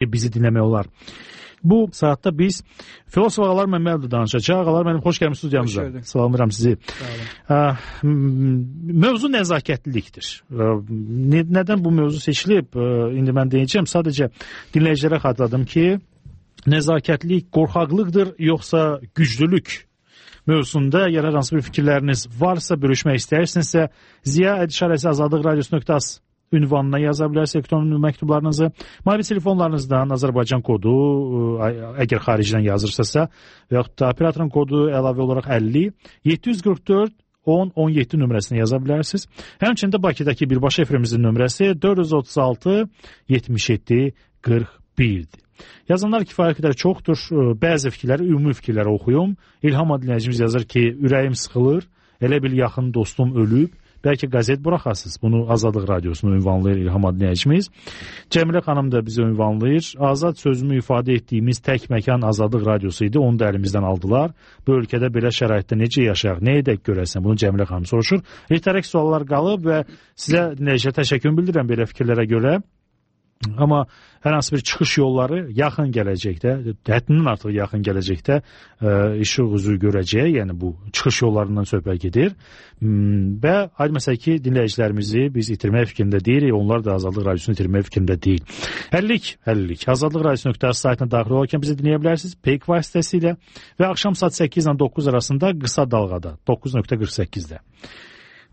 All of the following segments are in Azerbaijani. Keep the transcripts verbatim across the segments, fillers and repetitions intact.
bizi dinləmək olar. Bu saatda biz filosof Ağalar Məmmədovla danışacaq. Ağalar mənim xoş gəlmiş studiyamıza. Salamlayıram sizi. Mövzu nəzakətlilikdir. Nədən bu mövzu seçilib? İndi mən deyəcəm. Sadəcə dinləyicilərə xatırladım ki, nəzakətlilik qorxaqlıqdır, yoxsa güclülük mövzusunda əgər hər hansı bir fikirləriniz varsa, bölüşmək istəyirsinizsə, ziya ədişarəsi azadlıq radiosu nöqtə az ünvanına yaza bilərsiniz elektron məktublarınızı. Mobil telefonlarınızdan Azərbaycan kodu, əgər xaricdən yazırsınızsa, və yaxud da operatorun kodu əlavə olaraq əlli yeddi yüz qırx dörd on on yeddi nömrəsini yaza bilərsiniz. Həmçində Bakıdakı birbaşa efrimizin nömrəsi dörd yüz otuz altı yetmiş yeddi qırx birdir. Yazanlar kifayət qədər çoxdur. Bəzi fikirləri, ümumi fikirləri oxuyum. İlham dinləyicimiz yazır ki, ürəyim sıxılır, elə bil yaxın dostum ölüb. Bəlkə qəzet buraxasınız. Bunu Azadlıq Radiosunu ünvanlayır İlham dinləyicimiz. Cəmilə xanım da bizi ünvanlayır. Azad sözümü ifadə etdiyimiz tək məkan Azadlıq Radiosu idi. Onu da əlimizdən aldılar. Bu ölkədə belə şəraitdə necə yaşayaq, nə edək görəsən? Bunu Cəmilə xanım soruşur. Ritorik suallar qalıb və sizə dinləyicilər təşəkkür bildirirəm belə fikirlərə görə. Amma hər hansı bir çıxış yolları yaxın gələcəkdə, həddindən artıq yaxın gələcəkdə ə, işıq üzü görəcək, yəni bu çıxış yollarından söhbət gedir. Və aydın məsələ ki, dinləyicilərimizi biz itirmək fikrində deyirik, onlar da Azadlıq Radiosunu itirmək fikrində deyil. Həllik, həllik. Azadlıq Radiosu nöqtə az saytına daxil olarkən bizi dinləyə bilərsiniz Peyk vasitəsilə və axşam saat səkkiz ilə doqquz arasında qısa dalğada doqquz nöqtə qırx səkkizdə.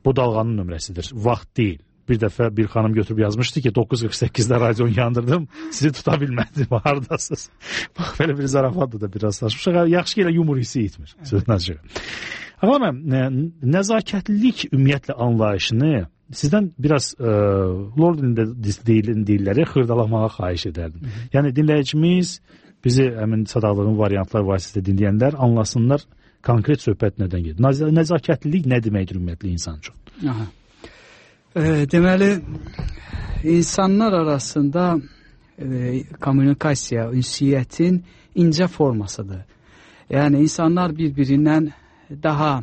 Bu dalğanın nömrəsidir, vaxt deyil. Bir dəfə bir xanım götürüb yazmışdı ki, doqquz qırx səkkizdə radionu yandırdım, sizi tuta bilmədim, haradasınız. Bax, belə bir zarafatdır da biraz saçmışıq. Yaxşı ki, elə yumur hissi itmir. Amma mən nəzakətlilik ümumiyyətlə anlayışını sizdən biraz e, lord dilində deyilləri xırdalamağa xahiş edərdim. Hı -hı. Yəni dinləyicimiz, bizi həmin sadaqlığın variantlar vasitəsilə dinləyənlər anlasınlar konkret söhbət nədən gedir. Nəzakətlilik nə deməkdir ümumiyyətlə insan üçün? Aha. E, deməli, insanlar arasında e, kommunikasiya, ünsiyyətin incə formasıdır. Yəni, insanlar bir-birindən daha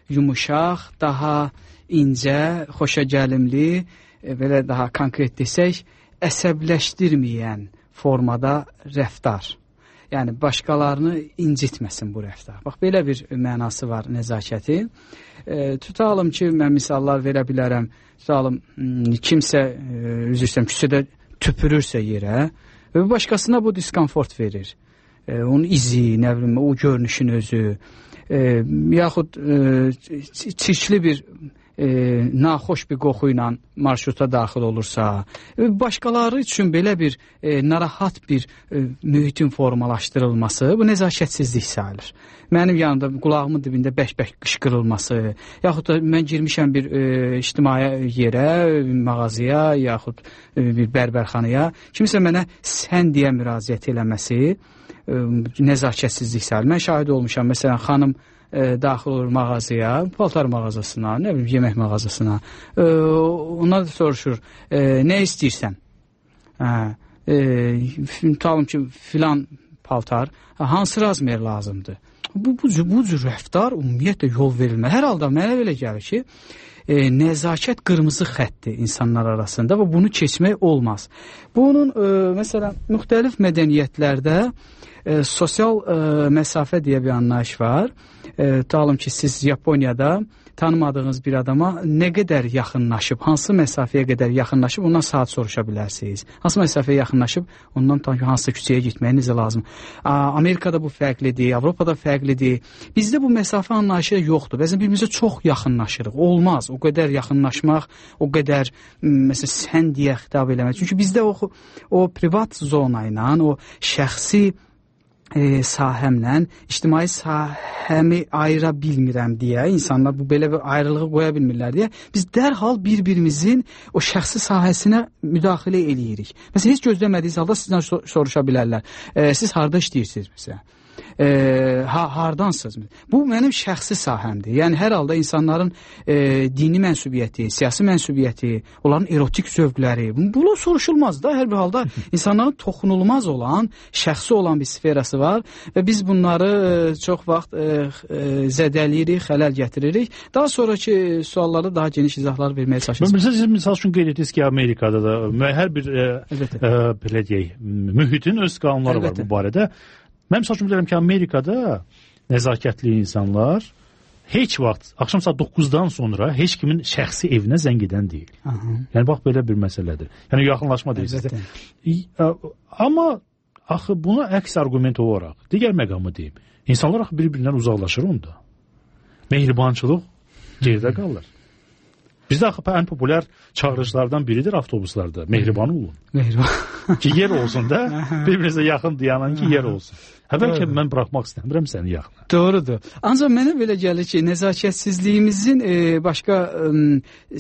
yumuşaq, daha incə, xoşagəlimli, e, belə daha konkret desək, əsəbləşdirməyən formada rəftar. Yəni, başqalarını incitməsin bu rəftar. Bax, belə bir mənası var nəzakətin. E, tutalım ki, mən misallar verə bilərəm. Tutalım, kimsə, e, üzr istəyirəm, küçədə tüpürürsə yerə və başqasına bu diskomfort verir. E, onun izi, nə bilim, o görünüşün özü, e, yaxud e, çirkli bir e, naxoş bir qoxu ilə marşruta daxil olursa, e, başqaları üçün belə bir e, narahat bir e, mühitin formalaşdırılması, bu nəzakətsizlik sayılır. Mənim yanımda qulağımın dibində bək-bək qışqırılması, yaxud da mən girmişəm bir e, ictimai yerə, mağazaya, yaxud e, bir bərbərxanaya, kimsə mənə sən deyə müraciət eləməsi e, nəzakətsizlik sayılır. Mən şahid olmuşam, məsələn, xanım e, daxil olur mağazaya, paltar mağazasına, nə bilim, yemək mağazasına, e, onlar da soruşur, e, nə istəyirsən? Hə, e, tutalım ki, filan paltar, hansı razmer lazımdır? Bu, bu, bu cür rəftar ümumiyyətlə yol verilməz. Hər halda mənə belə gəlir ki, e, nəzakət qırmızı xəttdir insanlar arasında və bunu keçmək olmaz. Bunun, e, məsələn, müxtəlif mədəniyyətlərdə e, sosial e, məsafə deyə bir anlayış var. E, tutalım ki, siz Yaponiyada tanımadığınız bir adama nə qədər yaxınlaşıb, hansı məsafəyə qədər yaxınlaşıb, ondan saat soruşa bilərsiniz. Hansı məsafəyə yaxınlaşıb, ondan tanı hansı küçəyə getməyiniz lazım. Amerikada bu fərqlidir, Avropada fərqlidir. Bizdə bu məsafə anlayışı yoxdur. Bəzən birimizə çox yaxınlaşırıq. Olmaz. O qədər yaxınlaşmaq, o qədər məsələn sən deyə xitab eləmək. Çünki bizdə o, o privat zona ilə, o şəxsi E, sahəmlə ictimai sahəmi ayıra bilmirəm deyə, insanlar bu belə bir ayrılığı qoya bilmirlər deyə, biz dərhal bir-birimizin o şəxsi sahəsinə müdaxilə eləyirik. Məsələn, heç gözləmədiyiniz halda sizdən soruşa bilərlər. E, siz harada işləyirsiniz məsələn? e, ha, hardansınız? Bu mənim şəxsi sahəmdir. Yəni hər halda insanların e, dini mənsubiyyəti, siyasi mənsubiyyəti, onların erotik zövqləri, bunu soruşulmaz da. Hər bir halda insanların toxunulmaz olan, şəxsi olan bir sferası var və biz bunları e, çox vaxt e, e, zədəliyirik, xələl gətiririk. Daha sonraki suallarda daha geniş izahlar verməyə çalışırıq. Siz misal üçün qeyd etdiniz ki, Amerikada da hər bir e, e, belə deyək, mühitin öz qanunları Elbette. Var bu barədə. Mən misal üçün bilirəm ki, Amerikada nəzakətli insanlar heç vaxt axşam saat doqquzdan sonra heç kimin şəxsi evinə zəng edən deyil. Aha. Yəni bax belə bir məsələdir. Yəni yaxınlaşma deyil. Amma axı buna əks arqument olaraq digər məqamı deyim. İnsanlar axı bir-birindən uzaqlaşır onda. Mehribançılıq geridə qalır. Bizdə axı ən populyar çağırışlardan biridir avtobuslarda. Mehriban olun. Mehriban. Ki yer olsun da bir-birinizə yaxın dayanan ki yer olsun. Əvvəlcə mən buraxmaq istəmirəm səni yaxına. Doğrudur. Ancaq mənə belə gəlir ki, nəzakətsizliyimizin e, başqa e,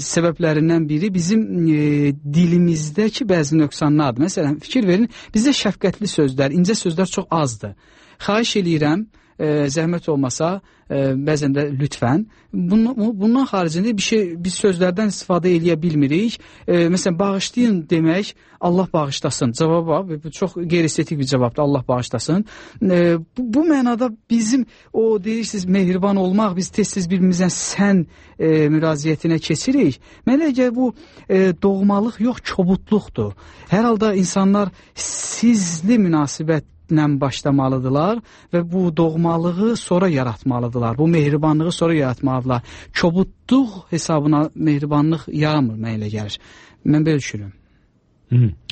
səbəblərindən biri bizim e, dilimizdəki bəzi nöqsanlardır. Məsələn, fikir verin, bizdə şəfqətli sözlər, incə sözlər çox azdır. Xahiş eləyirəm, e, zəhmət olmasa, e, bəzən də lütfən. Bundan, bundan xaricində bir şey, biz sözlərdən istifadə eləyə bilmirik. E, məsələn, bağışlayın demək, Allah bağışlasın. Cavab bu çox qeyri-estetik bir cavabdır. Allah bağışlasın. E, bu, bu mənada bizim o deyirsiniz mehriban olmaq, biz tez-tez bir-birimizdən sən e, müraciətinə keçirik. Mənə gəlir bu e, doğmalıq yox, kobudluqdur. Hər halda insanlar sizli münasibət ilə başlamalıdırlar və bu doğmalığı sonra yaratmalıdırlar. Bu mehribanlığı sonra yaratmalıdırlar. Kobudluq hesabına mehribanlıq yaramır, mənə elə gəlir. Mən belə düşünürüm.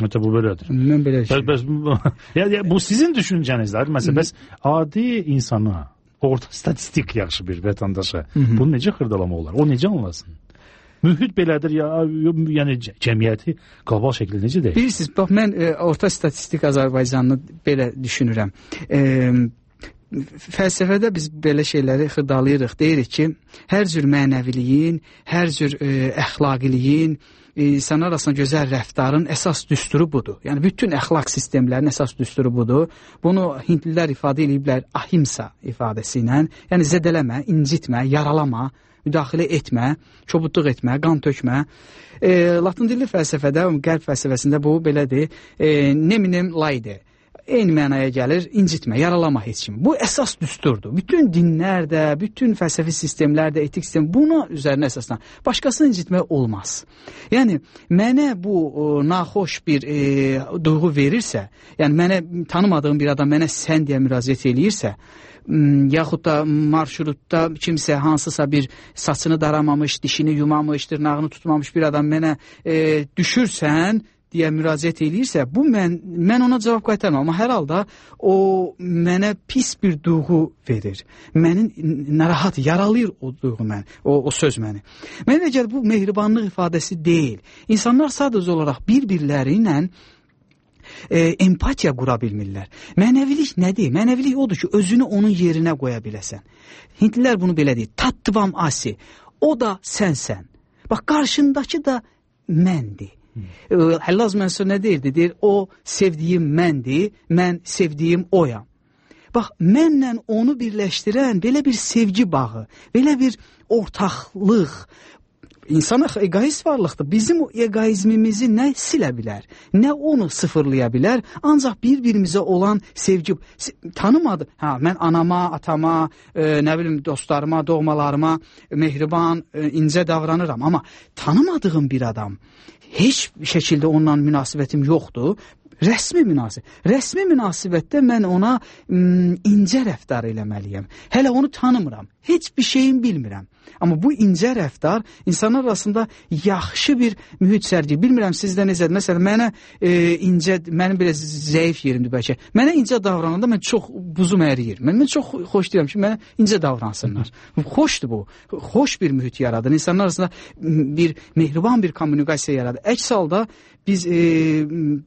Hətta bu belədir. Mən belə düşünürüm. Bəs, bəs, ya, ya, bu sizin düşüncənizdir. Məsələn, bəs adi insana, orta statistik yaxşı bir vətəndaşa bunu necə xırdalama olar? O necə anlasın? Mühit belədir, ya, yəni cəmiyyəti qlobal şəkildə necə deyil? Bilirsiniz, bax, mən e, orta statistik Azərbaycanını belə düşünürəm. E, fəlsəfədə biz belə şeyləri xırdalayırıq. Deyirik ki, hər cür mənəviliyin, hər cür e, əxlaqiliyin, e, insanlar arasında gözəl rəftarın əsas düsturu budur. Yəni, bütün əxlaq sistemlərinin əsas düsturu budur. Bunu hindlilər ifadə ediblər ahimsa ifadəsi ilə. Yəni, zədələmə, incitmə, yaralama, müdaxilə etmə, kobudluq etmə, qan tökmə. E, Latın dilli fəlsəfədə, qərb fəlsəfəsində bu belədir. E, neminem laide. Eyni mənaya gəlir, incitmə, yaralama heç kimi. Bu əsas düsturdur. Bütün dinlər də, bütün fəlsəfi sistemlər də, etik sistem buna üzərinə əsaslan. Başqasını incitmək olmaz. Yəni, mənə bu o, naxoş bir e, duyğu verirsə, yəni mənə tanımadığım bir adam mənə sən deyə müraciət eləyirsə, yaxud da marşrutda kimsə hansısa bir saçını daramamış, dişini yumamış, dırnağını tutmamış bir adam mənə e, düşürsən deyə müraciət eləyirsə, bu mən, mən ona cavab qaytarmam. Amma hər halda o mənə pis bir duyğu verir. Məni narahat, yaralayır o duyğu məni, o, o söz məni. Mənə gəlir, bu mehribanlıq ifadəsi deyil. İnsanlar sadəcə olaraq bir-birləri ilə E, empatiya qura bilmirlər. Mənəvilik nədir? Mənəvilik odur ki, özünü onun yerinə qoya biləsən. Hindlilər bunu belə deyir. Tattvam asi. O da sənsən. Bax, qarşındakı da məndir. Hmm. Həllaz Mənsur nə deyirdi? Deyir, o sevdiyim məndir, mən sevdiyim oyam. Bax, mənlə onu birləşdirən belə bir sevgi bağı, belə bir ortaqlıq, İnsan egoist varlıqdır. Bizim o egoizmimizi nə silə bilər, nə onu sıfırlaya bilər. Ancaq bir-birimizə olan sevgi tanımadı. Hə, mən anama, atama, e, nə bilim dostlarıma, doğmalarıma mehriban, e, incə davranıram. Amma tanımadığım bir adam, heç şəkildə onunla münasibətim yoxdur. Rəsmi münasibət. Rəsmi münasibətdə mən ona m, incə rəftar eləməliyəm. Hələ onu tanımıram. Heç bir şeyin bilmirəm. Amma bu incə rəftar insanlar arasında yaxşı bir mühit sərgiləyir. Bilmirəm sizdə necədir. Məsələn, mənə e, incə, mənim belə zəif yerimdir bəlkə. Mənə incə davrananda mən çox buzum əriyir. Mən, mən çox xoş deyirəm ki, mənə incə davransınlar. Xoşdur bu. Xoş bir mühit yaradır. İnsanlar arasında bir mehriban bir kommunikasiya yaradır. Əks halda biz e,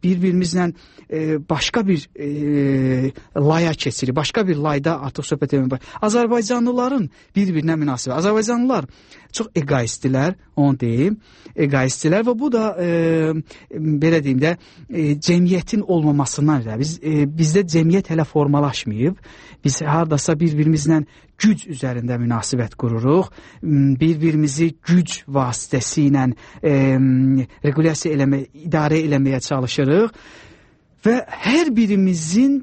bir-birimizlə e, başqa bir e, laya keçirik. Başqa bir layda artıq söhbət etmək. Azərbaycanlıların bir-birinə münasibət. Azərbaycan Azərbaycanlılar çox egoistdirlər, onu deyim. Egoistdirlər və bu da e, belə deyim də e, cəmiyyətin olmamasından da. Biz e, bizdə cəmiyyət hələ formalaşmayıb. Biz hardasa bir-birimizlə güc üzərində münasibət qururuq. Bir-birimizi güc vasitəsi ilə e, regulasiya eləmə, idarə eləməyə çalışırıq və hər birimizin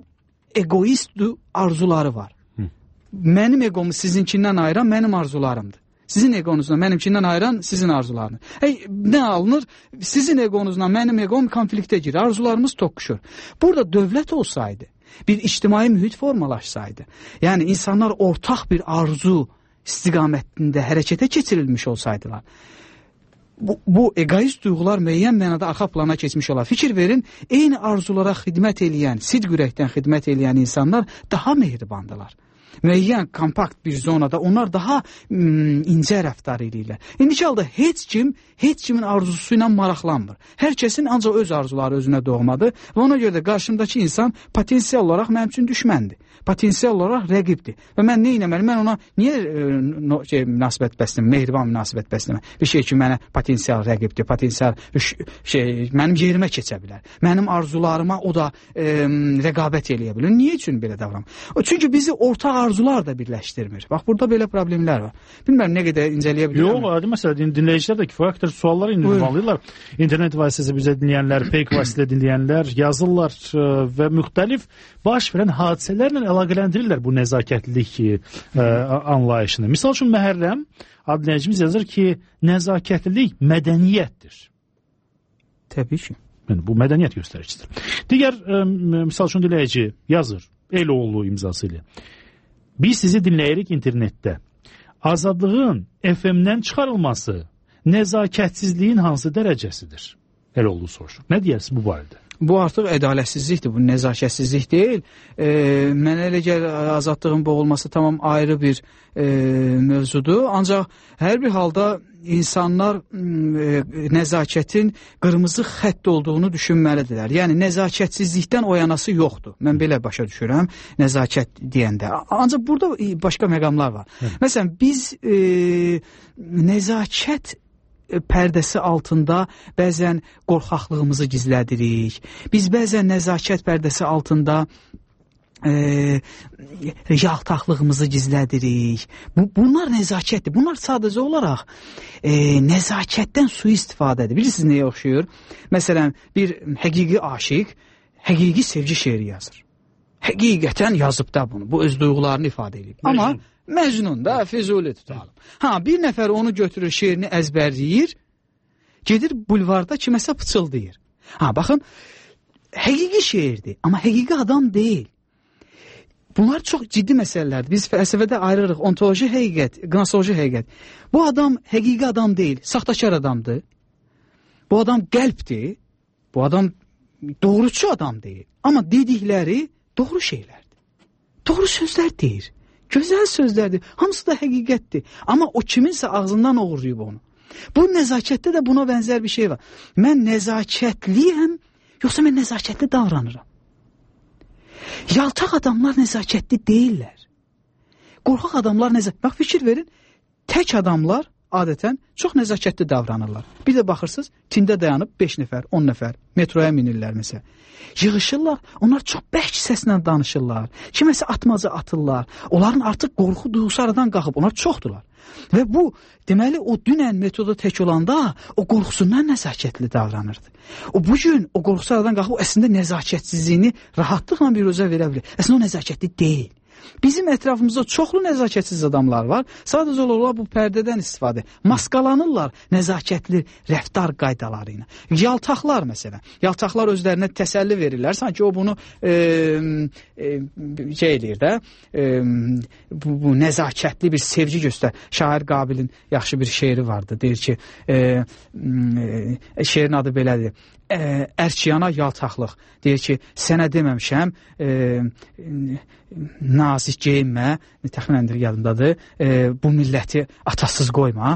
egoist arzuları var. Hı. Mənim egomu sizinkindən ayıran mənim arzularımdır. Sizin egonuzla mənimkindən ayıran sizin arzularını. Hey, nə alınır? Sizin egonuzla mənim egom konfliktə girir. Arzularımız toqquşur. Burada dövlət olsaydı, bir ictimai mühit formalaşsaydı, yəni insanlar ortaq bir arzu istiqamətində hərəkətə keçirilmiş olsaydılar, bu, bu egoist duyğular müəyyən mənada arxa plana keçmiş olar. Fikir verin, eyni arzulara xidmət eləyən, sidq ürəkdən xidmət eləyən insanlar daha mehribandılar. Müəyyən kompakt bir zonada onlar daha mm, incə rəftar edirlər. İndiki halda heç kim, heç kimin arzusu ilə maraqlanmır. Hər kəsin ancaq öz arzuları özünə doğmadır və ona görə də qarşımdakı insan potensial olaraq mənim üçün düşməndir. Potensial olaraq rəqibdir. Və mən nə etməliyəm? Mən ona niyə e, no, şey, münasibət bəsləməm, mehriban münasibət bəsləməm? Bir şey ki, mənə potensial rəqibdir, potensial şey, mənim yerimə keçə bilər. Mənim arzularıma o da e, rəqabət eləyə bilər. Niyə üçün belə davranır? Çünki bizi ortaq arzular da birləşdirmir. Bax, burada belə problemlər var. Bilmirəm, nə qədər incələyə bilirəm. Yox, adi məsələ, dinləyicilər də kifayət qədər suallar ünvanlayırlar. İnternet vasitəsilə bizə dinləyənlər, fake vasitəsilə dinləyənlər yazırlar və müxtəlif baş verən hadisələrlə əlaqələndirirlər bu nəzakətlilik ə, anlayışını. Misal üçün, Məhərrəm adlı dinləyicimiz yazır ki, nəzakətlilik mədəniyyətdir. Təbii ki. Yəni, bu mədəniyyət göstəricisidir. Digər ə, misal üçün dinləyici yazır, Eloğlu imzası ilə. Biz sizi dinləyirik internetdə. Azadlığın F M-dən çıxarılması nəzakətsizliyin hansı dərəcəsidir? Eloğlu soruşur. Nə deyərsiniz bu barədə? Bu artıq ədalətsizlikdir, bu nəzakətsizlik deyil. E, mənə elə gəlir, azadlığın boğulması tamam ayrı bir e, mövzudur. Ancaq hər bir halda insanlar e, nəzakətin qırmızı xətt olduğunu düşünməlidirlər. Yəni, nəzakətsizlikdən oyanası yoxdur. Mən belə başa düşürəm, nəzakət deyəndə. Ancaq burada başqa məqamlar var. Hı. Məsələn, biz e, nəzakət pərdəsi altında bəzən qorxaqlığımızı gizlədirik. Biz bəzən nəzakət pərdəsi altında e, yaltaqlığımızı gizlədirik. Bu, bunlar nəzakətdir. Bunlar sadəcə olaraq e, nəzakətdən sui-istifadədir. Bilirsiniz nəyə oxşuyur? Məsələn, bir həqiqi aşiq həqiqi sevgi şeiri yazır. Həqiqətən yazıb da bunu. Bu öz duyğularını ifadə edib. Amma Məcnun da, Füzuli tutalım. Ha, bir nəfər onu götürür, şeirini əzbərləyir, gedir bulvarda kiməsə pıçıldayır. Ha, baxın, həqiqi şeirdir, amma həqiqi adam deyil. Bunlar çox ciddi məsələlərdir. Biz fəlsəfədə ayırırıq, ontoloji həqiqət, qnosoloji həqiqət. Bu adam həqiqi adam deyil, saxtakar adamdır. Bu adam qəlbdir, bu adam doğruçu adam deyil. Amma dedikləri doğru şeylərdir. Doğru sözlər deyir. Gözəl sözlərdir. Hamısı da həqiqətdir. Amma o kiminsə ağzından oğurlayıb onu. Bu nəzakətdə də buna bənzər bir şey var. Mən nəzakətliyəm, yoxsa mən nəzakətli davranıram? Yaltaq adamlar nəzakətli deyirlər. Qorxaq adamlar nəzakətli. Bax, fikir verin, tək adamlar adətən çox nəzakətli davranırlar. Bir də baxırsınız, tində dayanıb beş nəfər, on nəfər metroya minirlər məsələn. Yığışırlar, onlar çox bərk səslə danışırlar. Kiməsə atmaca atırlar. Onların artıq qorxu duyğusu aradan qalxıb, onlar çoxdular. Və bu, deməli, o dünən metoda tək olanda o qorxusundan nəzakətli davranırdı. O bugün o qorxusu aradan qalxıb, o əslində nəzakətsizliyini rahatlıqla bir özə verə bilir. Əslində o nəzakətli deyil. Bizim ətrafımızda çoxlu nəzakətsiz adamlar var. Sadəcə olaraq bu pərdədən istifadə. Maskalanırlar nəzakətli rəftar qaydaları ilə. Yaltaqlar məsələn. Yaltaqlar özlərinə təsəlli verirlər. Sanki o bunu e, e, şey edir də, e, bu, bu nəzakətli bir sevgi göstər. Şair Qabilin yaxşı bir şeiri vardı. Deyir ki, e, e, şeirin adı belədir. Ərkiyana yaltaqlıq. Deyir ki, sənə deməmişəm, e, nazik geyinmə, təxminəndir yadımdadır, e, bu milləti atasız qoyma.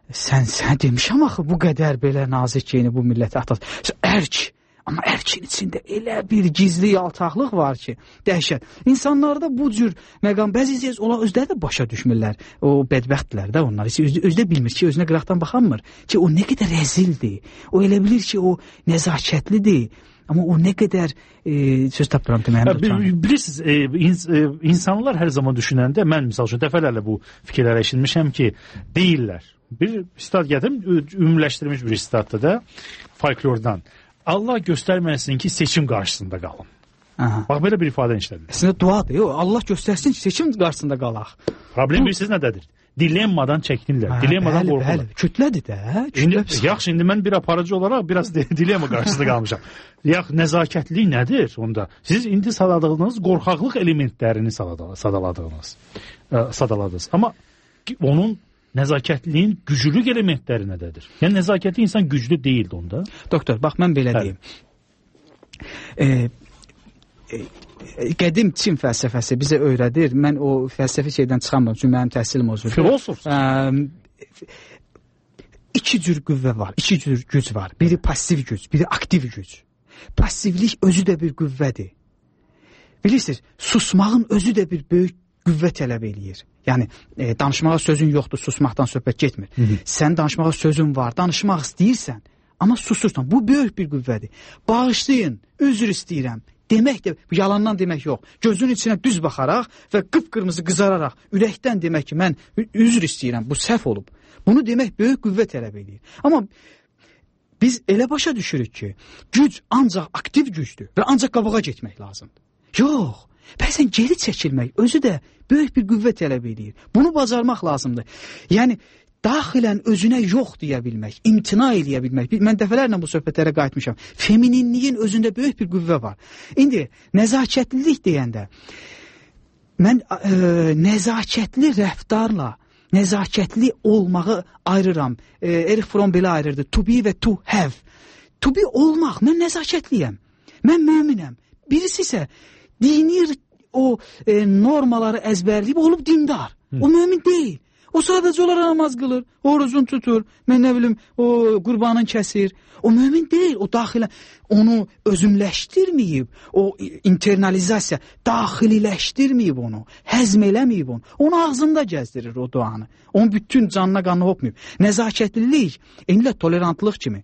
Sən, sən demişəm axı, bu qədər belə nazik geyini bu milləti atasız. Ərk, Amma ərkin içində elə bir gizli yaltaqlıq var ki, dəhşət. İnsanlarda bu cür məqam bəzi onlar özləri də başa düşmürlər. O bədbəxtlər də onlar. Özü, özü də bilmir ki, özünə qıraqdan baxanmır ki, o nə qədər rəzildir. O elə bilir ki, o nəzakətlidir. Amma o nə qədər e, söz tapdıram deməyəm. Bilirsiniz, e, ins e, insanlar hər zaman düşünəndə, mən misal üçün dəfələrlə bu fikirləri eşitmişəm ki, deyirlər. Bir stat gətirim, ümumiləşdirilmiş bir statda da folklordan. Allah göstərməsin ki, seçim qarşısında qalın. Aha. Bax, belə bir ifadə işlədir. Əslində duadır. Yo, Allah göstərsin ki, seçim qarşısında qalaq. Problem bilirsiniz nədədir? Dilemmadan çəkinirlər. Dilemmadan qorxurlar. Kütlədir də. Kütlə indi, yaxşı, indi mən bir aparıcı olaraq biraz dilemma qarşısında qalmışam. Yaxşı, nəzakətlilik nədir onda? Siz indi sadaladığınız qorxaqlıq elementlərini sadaladığınız, sadaladınız. Amma onun nəzakətliyin güclülük elementləri nədədir? Yəni nəzakətli insan güclü deyildi onda. Doktor, bax mən belə deyim. E, e, qədim Çin fəlsəfəsi bizə öyrədir. Mən o fəlsəfi şeydən çıxamam, çünki mənim təhsilim o cür. Filosof. E, iki cür qüvvə var, iki cür güc var. Biri pasiv güc, biri aktiv güc. Passivlik özü də bir qüvvədir. Bilirsiniz, susmağın özü də bir böyük qüvvə tələb eləyir. Yəni, e, danışmağa sözün yoxdur, susmaqdan söhbət getmir. Hı -hı. Sən danışmağa sözün var, danışmaq istəyirsən, amma susursan. Bu böyük bir qüvvədir. Bağışlayın, üzr istəyirəm. Demək də, yalandan demək yox. Gözün içinə düz baxaraq və qıpqırmızı qızararaq, ürəkdən demək ki, mən üzr istəyirəm, bu səhv olub. Bunu demək böyük qüvvə tələb eləyir. Amma biz elə başa düşürük ki, güc ancaq aktiv gücdür və ancaq qabağa getmək lazımdır. Yox. Bəzən geri çəkilmək özü də böyük bir qüvvə tələb edir. Bunu bacarmaq lazımdır. Yəni, daxilən özünə yox deyə bilmək, imtina eləyə bilmək. Mən dəfələrlə bu söhbətlərə qayıtmışam. Femininliyin özündə böyük bir qüvvə var. İndi, nəzakətlilik deyəndə, mən e, nəzakətli rəftarla nəzakətli olmağı ayırıram. E, Erich Fromm belə ayırırdı. To be və to have. To be olmaq, mən nəzakətliyəm. Mən müminəm. Birisi isə dini o e, normaları əzbərləyib olub dindar. Hı. O mömin deyil. O sadəcə olaraq namaz qılır, orucunu tutur, mən nə bilim, o qurbanın kəsir. O mömin deyil, o daxilən onu özümləşdirməyib, o internalizasiya daxililəşdirməyib onu, həzm eləməyib onu. Onu ağzında gəzdirir o duanı. Onun bütün canına qanı hopmayıb. Nəzakətlilik, eynilə tolerantlıq kimi.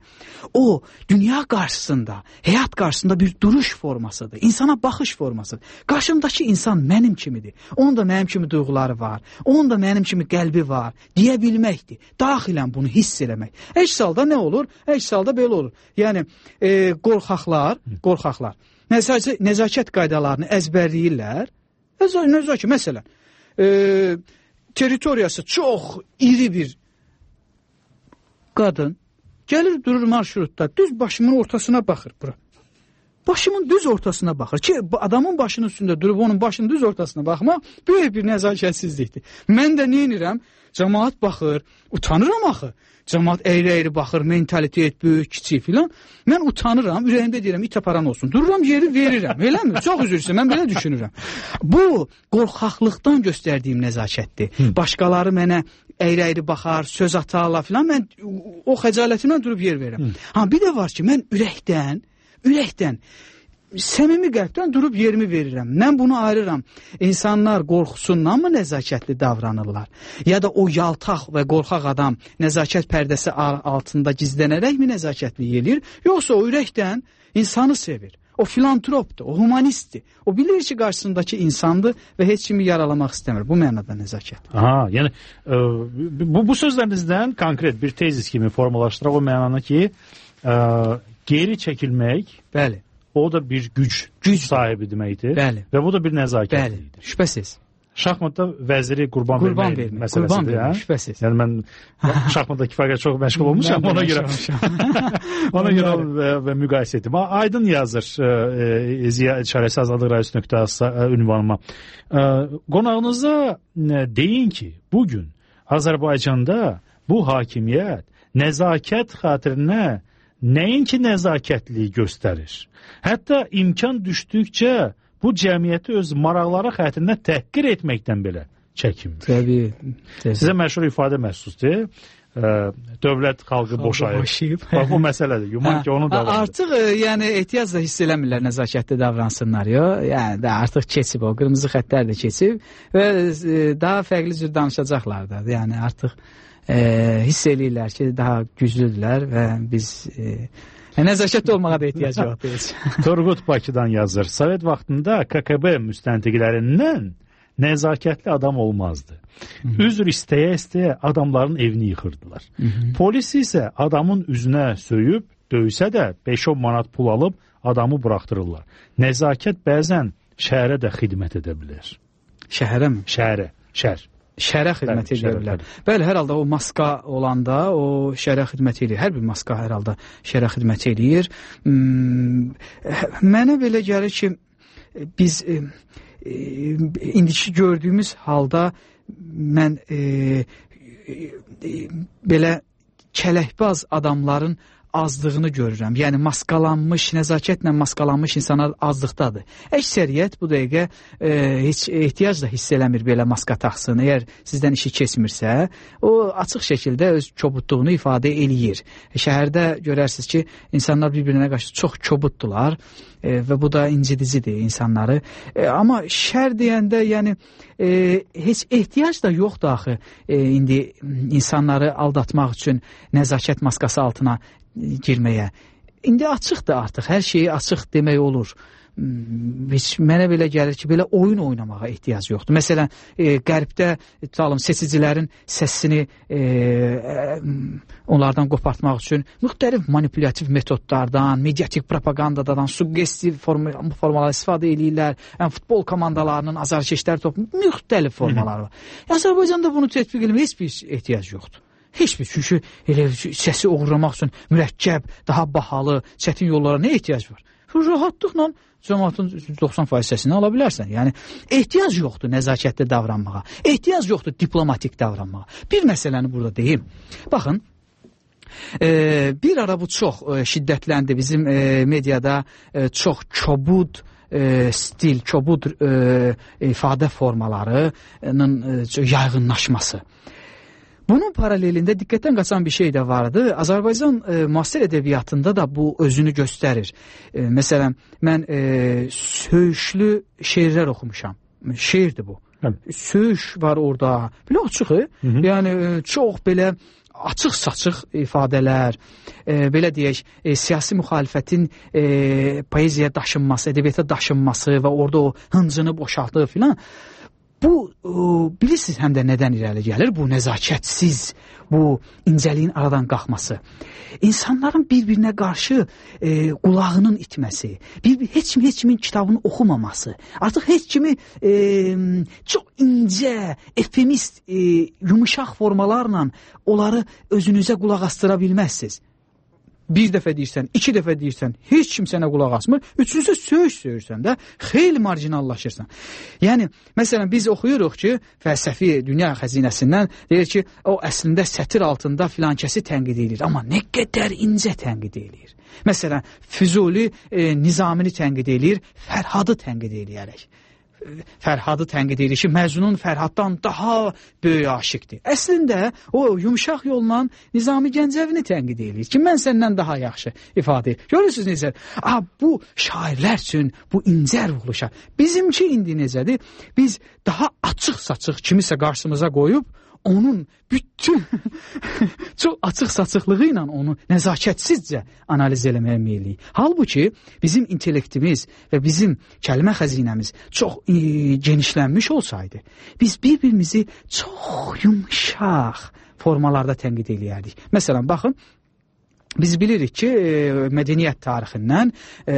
O, dünya qarşısında, həyat qarşısında bir duruş formasıdır, insana baxış formasıdır. Qarşımdakı insan mənim kimidir. Onun da mənim kimi duyğuları var, onun da mənim kimi qəlbi var, deyə bilməkdir. Daxilən bunu hiss eləmək. Əks halda nə olur? Əks halda belə olur. Yəni, e, qorxaqlar, qorxaqlar, nəzakət, nəzakət qaydalarını əzbərləyirlər. Nəzakət, məsələn, e, teritoriyası çox iri bir qadın gəlir, durur marşrutda, düz başımın ortasına baxır bura. Başımın düz ortasına baxır ki, adamın başının üstündə durub onun başının düz ortasına baxmaq böyük bir nəzakətsizlikdir. Mən də neyinirəm? Cəmaat baxır, utanıram axı. Cəmaat əyri-əyri baxır, mentalitet böyük, kiçik filan. Mən utanıram, ürəyimdə deyirəm, it aparan olsun. Dururam, yeri verirəm, eləmi? Çox üzr istəyirəm, mən belə düşünürəm. Bu, qorxaqlıqdan göstərdiyim nəzakətdir. Hı. Başqaları mənə əyri-əyri baxar, söz atarlar filan, mən o xəcalətimdən durub yer verirəm. Hı. Ha, bir də var ki, mən ürəkdən, ürəkdən, səmimi qəlbdən durub yerimi verirəm. Mən bunu ayırıram. İnsanlar qorxusundan mı nəzakətli davranırlar? Ya da o yaltaq və qorxaq adam nəzakət pərdəsi altında gizlənərək mi nəzakətli eləyir? Yoxsa o ürəkdən insanı sevir. O filantropdur, o humanistdir. O bilir ki, qarşısındakı insandır və heç kimi yaralamaq istəmir. Bu mənada nəzakət. Aha, yəni e, bu, bu sözlərinizdən konkret bir tezis kimi formalaşdıraq o mənada ki, e, geri çəkilmək, bəli, o da bir güc, güc sahibi deməkdir. Bəli. Və bu da bir nəzakətlidir. Bəli, şübhəsiz. Şahmatda vəziri qurban, qurban vermək vermək məsələsidir. Qurban vermək, şübhəsiz. Yəni mən şahmatdakı fərqə çox məşğul olmuşam, ona görə ona görə və, və müqayisə etdim. Aydın yazır e, Ziya İşarəsi Azadlıq Radiosu nöqtə az ünvanıma. E, qonağınıza deyin ki, bugün Azərbaycanda bu hakimiyyət nəzakət xatirinə nəinki nəzakətliyi göstərir. Hətta imkan düşdükcə bu cəmiyyəti öz maraqları xətrinə təhqir etməkdən belə çəkinmir. Təbii, təbii. Sizə məşhur ifadə məxsusdur. ə, dövlət xalqı boşayıb. boşayıb. Bax, o məsələdir. Güman ki, onun davamıdır. Artıq ə, yəni ehtiyac da hiss eləmirlər nəzakətli davransınlar. Yo? Yəni də artıq keçib o qırmızı xəttlər də keçib və ə, daha fərqli cür danışacaqlar da. Yəni artıq ə, hiss eləyirlər ki, daha güclüdürlər və biz ə, nəzakətli olmağa da ehtiyac yoxdur. Turgut Bakıdan yazır. Sovet vaxtında K K B müstəntiqlərindən nəzakətli adam olmazdı. Hı -hı. Üzr istəyə-istəyə adamların evini yıxırdılar. Hı -hı. Polis isə adamın üzünə söyüb, döysə də beş on manat pul alıb adamı buraxdırırlar. Nəzakət bəzən şəhərə də xidmət edə bilər. Şəhərə mi? Şəhərə, şəhər. Şərə xidmət edirlər. Bəli, hər halda o maska olanda o şərə xidmət edir. Hər bir maska hər halda şərə xidmət edir. Hmm, mənə belə gəlir ki, biz e, e, indiki gördüyümüz halda mən e, e, belə kələkbaz adamların azdığını görürəm. Yəni maskalanmış, nəzakətlə maskalanmış insanlar azlıqdadır. Əksəriyyət bu dəqiqə e, heç ehtiyac da hiss eləmir belə maska taxsın. Əgər sizdən işi keçmirsə, o açıq şəkildə öz kobudluğunu ifadə eləyir. Şəhərdə görərsiniz ki, insanlar bir-birinə qarşı çox kobuddular e, və bu da incidicidir insanları. E, amma şər deyəndə, yəni e, heç ehtiyac da yoxdur axı e, indi insanları aldatmaq üçün nəzakət maskası altına girməyə. İndi açıqdır artıq, hər şeyi açıq demək olur. Heç mənə belə gəlir ki, belə oyun oynamağa ehtiyac yoxdur. Məsələn, e, qərbdə tutalım, seçicilərin səsini e, e, onlardan qopartmaq üçün müxtəlif manipulativ metodlardan, mediatik propagandadan, suggestiv form formalar istifadə edirlər. Yəni, futbol komandalarının azarkeşləri toplu müxtəlif formalar var. Azərbaycanda bunu tətbiq etməyə heç bir ehtiyac yoxdur. Heç bir, çünki elə səsi oğurlamaq üçün mürəkkəb, daha bahalı, çətin yollara nə ehtiyac var? Rahatlıqla cəmaatın doxsan faiz səsini ala bilərsən. Yəni, ehtiyac yoxdur nəzakətli davranmağa. Ehtiyac yoxdur diplomatik davranmağa. Bir məsələni burada deyim. Baxın, e, bir ara bu çox e, şiddətləndi. Bizim e, mediada e, çox kobud e, stil, kobud e, ifadə formalarının e, yayğınlaşması. Bunun paralelində diqqətdən qaçan bir şey də vardı. Azərbaycan e, müasir ədəbiyyatında da bu özünü göstərir. E, məsələn, mən e, söyüşlü şeirlər oxumuşam. Şeirdir bu. Hə. Söyüş var orada. Belə açıq, hı -hı. Yəni e, çox belə açıq-saçıq ifadələr, e, belə deyək, e, siyasi müxalifətin e, poeziyaya daşınması, ədəbiyyata daşınması və orada o hıncını boşaltdığı filan. Bu, e, bilirsiniz həm də nədən irəli gəlir? Bu nəzakətsiz, bu incəliyin aradan qalxması. İnsanların bir-birinə qarşı e, qulağının itməsi, bir, heç kimi heç kimin kitabını oxumaması, artıq heç kimi e, çox incə, efemist, e, yumuşaq formalarla onları özünüzə qulaq astıra bilməzsiniz. Bir dəfə deyirsən, iki dəfə deyirsən, heç kim sənə qulaq asmır. Üçüncüsü söyüş söyürsən də, xeyli marjinallaşırsan. Yəni, məsələn, biz oxuyuruq ki, fəlsəfi dünya xəzinəsindən deyir ki, o əslində sətir altında filankəsi tənqid edir. Amma nə qədər incə tənqid edir. Məsələn, Füzuli e, Nizamini tənqid edir, Fərhadı tənqid edərək. Fərhadı tənqid edir ki, Məcnun Fərhaddan daha böyük aşiqdir. Əslində o yumuşaq yolla Nizami Gəncəvini tənqid edir ki, mən səndən daha yaxşı ifadə edir. Görürsünüz necə? Ah, bu şairlər üçün bu incə ruhlu şair. Bizimki indi necədir? Biz daha açıq-saçıq kimisə qarşımıza qoyub onun bütün çox açıq-saçıqlığı ilə onu nəzakətsizcə analiz eləməyə meyilliyik. Halbuki bizim intellektimiz və bizim kəlmə xəzinəmiz çox e, genişlənmiş olsaydı, biz bir-birimizi çox yumuşaq formalarda tənqid eləyərdik. Məsələn, baxın, biz bilirik ki, e, mədəniyyət tarixindən e,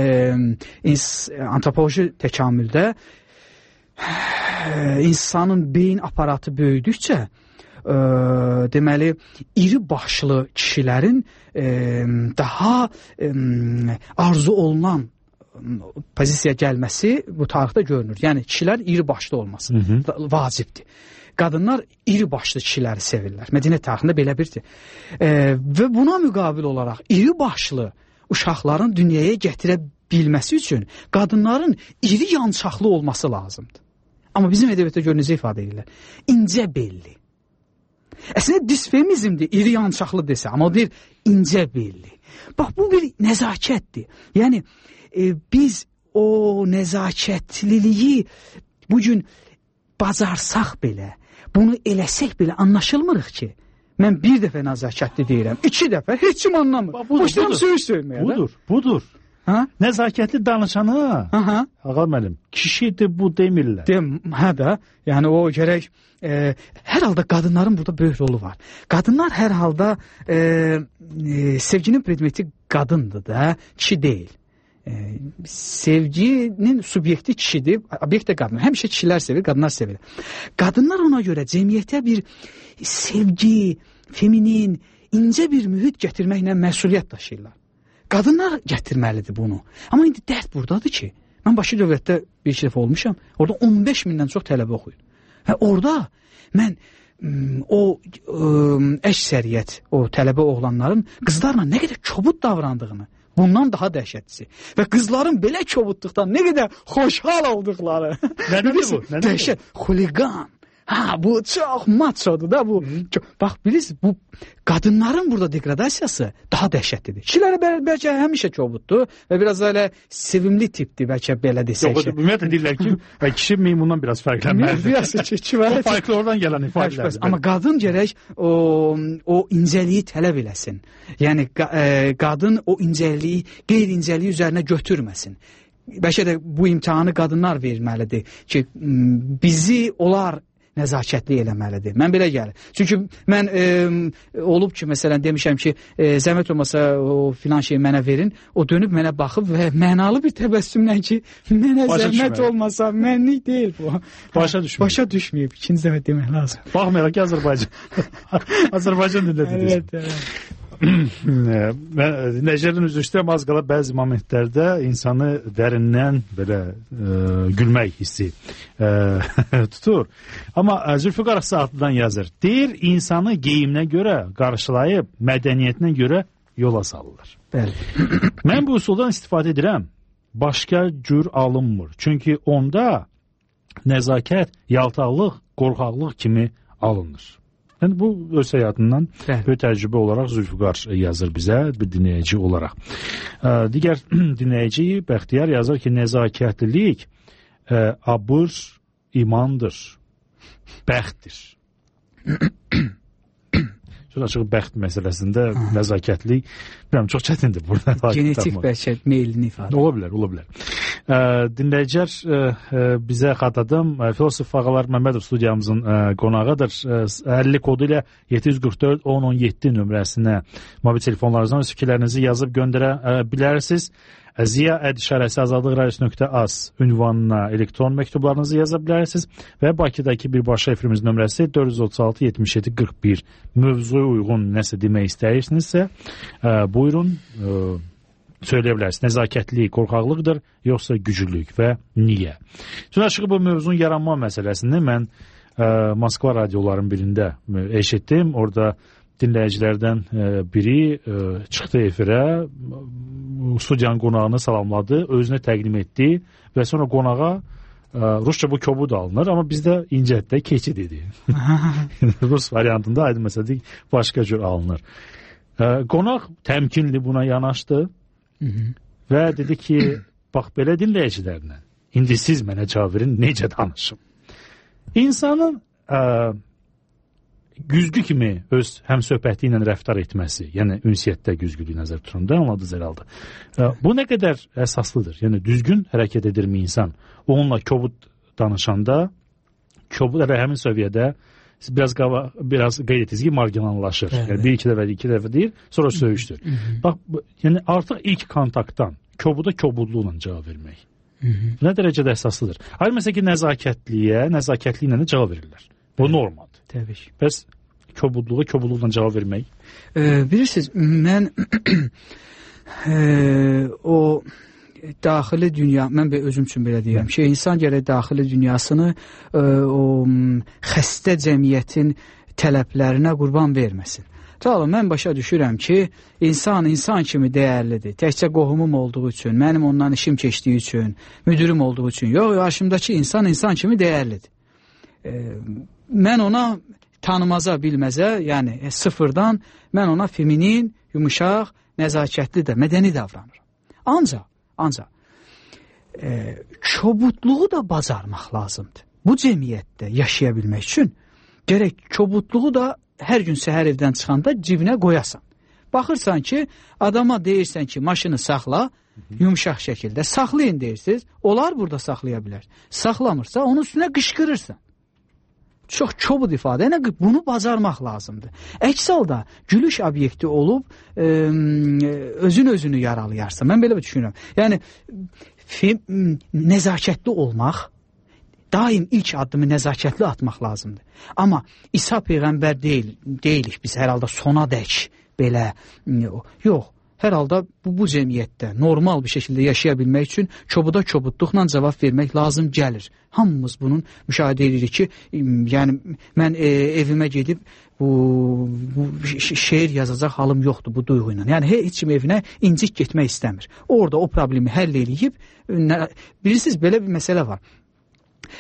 antropoloji təkamüldə e, insanın beyin aparatı böyüdükcə E, deməli, iri başlı kişilərin e, daha e, arzu olunan pozisiyaya gəlməsi bu tarixdə görünür. Yəni, kişilər iri başlı olması hı -hı. vacibdir. Qadınlar iri başlı kişiləri sevirlər. Mədəniyyət tarixində belə birdir. E, və buna müqabil olaraq iri başlı uşaqların dünyaya gətirə bilməsi üçün qadınların iri yançaqlı olması lazımdır. Amma bizim ədəbiyyatda görünəcə ifadə edirlər. İncə belli. Əslində disfemizmdir, iri yançaqlı desə, amma deyir incə belli. Bax, bu bir nəzakətdir. Yəni, e, biz o nəzakətliliyi bugün bacarsaq belə, bunu eləsək belə anlaşılmırıq ki. Mən bir dəfə nəzakətli deyirəm, iki dəfə, heç kim anlamır. Boşlayam söz söyləməyə. Budur, budur. Ha? Nəzakətli danışana, aha. Ağa müəllim, kişidir bu demirlər. Dem, hə də, yəni o gərək, e, hər halda qadınların burada böyük rolu var. Qadınlar hər halda e, e, sevginin predmeti qadındır da, kişi deyil. E, sevginin subyekti kişidir, obyekt də qadın. Həmişə kişilər sevir, qadınlar sevir. Qadınlar ona görə cəmiyyətə bir sevgi, feminin, incə bir mühit gətirməklə məsuliyyət daşıyırlar. Qadınlar gətirməlidir bunu. Amma indi dərd buradadır ki, mən Bakı dövlətdə bir iki dəfə olmuşam, orada on beş mindən çox tələbə oxuyur. Və orada mən o əksəriyyət, o tələbə oğlanların qızlarla nə qədər kobud davrandığını, bundan daha dəhşətlisi. Və qızların belə kobudluqdan nə qədər xoşhal olduqları. Nədir bu? Dəhşət, xuliqan. Ha, bu çox maçodur da bu. Çox, bax bilirsiniz, bu qadınların burada degradasiyası daha dəhşətlidir. Kişilərə bəl bəlkə həmişə kobuddur və biraz elə sevimli tipdir, bəlkə belə desək. Yox, ümumiyyətlə deyirlər ki, kişi meymundan biraz fərqlənməlidir. Biraz ki, var. O farklı oradan gələn ifadələrdir. Amma qadın gərək o, o incəliyi tələb eləsin. Yəni e, qadın o incəliyi, qeyri-incəliyi üzərinə götürməsin. Bəlkə də bu imtahanı qadınlar verməlidir ki, bizi onlar nəzakətli eləməlidir. Mən belə gəlir. Çünki mən e, olub ki, məsələn, demişəm ki, e, zəhmət olmasa o filan şeyi mənə verin, o dönüb mənə baxıb və mənalı bir təbəssümlə ki, mənə Başa zəhmət düşməyib. olmasa, mənlik deyil bu. Başa düşməyib. Başa düşməyib. İkinci dəfə demək lazım. Baxmayaraq ki, Azərbaycan. Azərbaycan dilində deyirsən. Evet, evet. Dinləyicilərin üzr istəyirəm, az qala bəzi momentlərdə insanı dərindən belə e, gülmək hissi e, tutur. Amma Zülfüqar Saatlıdan yazır. Deyir, insanı geyimlə görə qarşılayıb, mədəniyyətinə görə yola salırlar. Bəli. Mən bu üsuldan istifadə edirəm. Başqa cür alınmır. Çünki onda nəzakət, yaltaqlıq, qorxaqlıq kimi alınır. Yəni, bu öz həyatından böyük təcrübə olaraq Zülfüqar yazır bizə, bir dinləyici olaraq. Digər dinləyici Bəxtiyar yazır ki, nəzakətlilik abır imandır, bəxtdir. Çox açıq bəxt məsələsində nəzakətlik, bilməm, çox çətindir burada. Genetik bəlkə meylini ifadə. Ola bilər, ola bilər. Ə, dinləyicilər ə, ə, bizə xatladım. Filosof Ağalar Məmmədov studiyamızın ə, qonağıdır. əlli kodu ilə yeddi yüz qırx dörd on on yeddi nömrəsinə mobil telefonlarınızdan öz fikirlərinizi yazıb göndərə ə, bilərsiniz. Ziya Əd işarəsi azadlıq radiosu nöqtə az ünvanına elektron məktublarınızı yaza bilərsiniz və Bakıdakı birbaşa efirimiz nömrəsi dörd yüz otuz altı yetmiş yeddi qırx bir. Mövzuya uyğun nəsə demək istəyirsinizsə, ə, buyurun, ə, söyləyə bilərsiniz. Nəzakətlilik qorxaqlıqdır, yoxsa güclülük və niyə? Tün açığı bu mövzunun yaranma məsələsini mən ə, Moskva radioların birində eşitdim. Orada dinləyicilərdən biri çıxdı efirə, studiyanın qonağını salamladı, özünə təqdim etdi və sonra qonağa Rusça bu kobud alınır, amma bizdə incətdə keçid dedi. Rus variantında aydın məsələ başqa cür alınır. Qonaq təmkinli buna yanaşdı və dedi ki, bax belə dinləyicilərlə, indi siz mənə cavab verin, necə danışım? İnsanın güzgü kimi öz həm söhbəti ilə rəftar etməsi, yəni ünsiyyətdə güzgülüyü nəzər tutunda anladınız herhalde. Bu nə qədər əsaslıdır? Yəni düzgün hərəkət edirmi insan? Onunla kobud danışanda, kobud elə həmin səviyyədə biraz qava, biraz qeyd etiniz ki, marginallaşır. Evet. Yəni bir iki dəfə, iki dəfə deyir, sonra söyüşdür. Bax, yəni artıq ilk kontaktdan kobuda kobudluqla cavab vermək. Hı -hı. Nə dərəcədə əsaslıdır? Hayır, məsələn ki, nəzakətliyə, nəzakətliklə də cavab verirlər. Bu evet. Normal. Təbii ki. Bəs kobudluğa, kobudluqla cavab vermək? Ee, bilirsiniz, mən e, o daxili dünya, mən özüm üçün belə deyirəm ki, insan gərək daxili dünyasını e, o xəstə cəmiyyətin tələblərinə qurban verməsin. Tamam, mən başa düşürəm ki, insan insan kimi dəyərlidir. Təkcə qohumum olduğu üçün, mənim ondan işim keçdiyi üçün, müdürüm olduğu üçün. Yox, qarşımdakı insan insan kimi dəyərlidir. E, mən ona tanımaza, bilməzə, yəni e, sıfırdan mən ona feminin, yumuşaq, nəzakətli də, mədəni davranır. Ancaq, ancaq e, çobudluğu da bacarmaq lazımdır. Bu cəmiyyətdə yaşaya bilmək üçün gərək çobudluğu da hər gün səhər evdən çıxanda cibinə qoyasan. Baxırsan ki, adama deyirsən ki, maşını saxla, yumuşaq şəkildə saxlayın deyirsiniz, onlar burada saxlaya bilər. Saxlamırsa, onun üstünə qışqırırsan. Çox çobud ifadə, yəni bunu bacarmaq lazımdır. Əks halda gülüş obyekti olub e, özün özünü yaralayarsan. Mən belə düşünürəm. Yəni film, nəzakətli olmaq, daim ilk addımı nəzakətli atmaq lazımdır. Amma İsa Peyğəmbər deyil, deyilik biz hər halda sona dək belə, yox. Hər halda bu, bu cəmiyyətdə normal bir şəkildə yaşaya bilmək üçün çobuda çobudluqla cavab vermək lazım gəlir. Hamımız bunun müşahidə edirik ki, yəni mən e, evimə gedib bu, bu şeir yazacaq halım yoxdur bu duyğu ilə. Yəni heç kim evinə incik getmək istəmir. Orada o problemi həll eləyib, bilirsiniz belə bir məsələ var.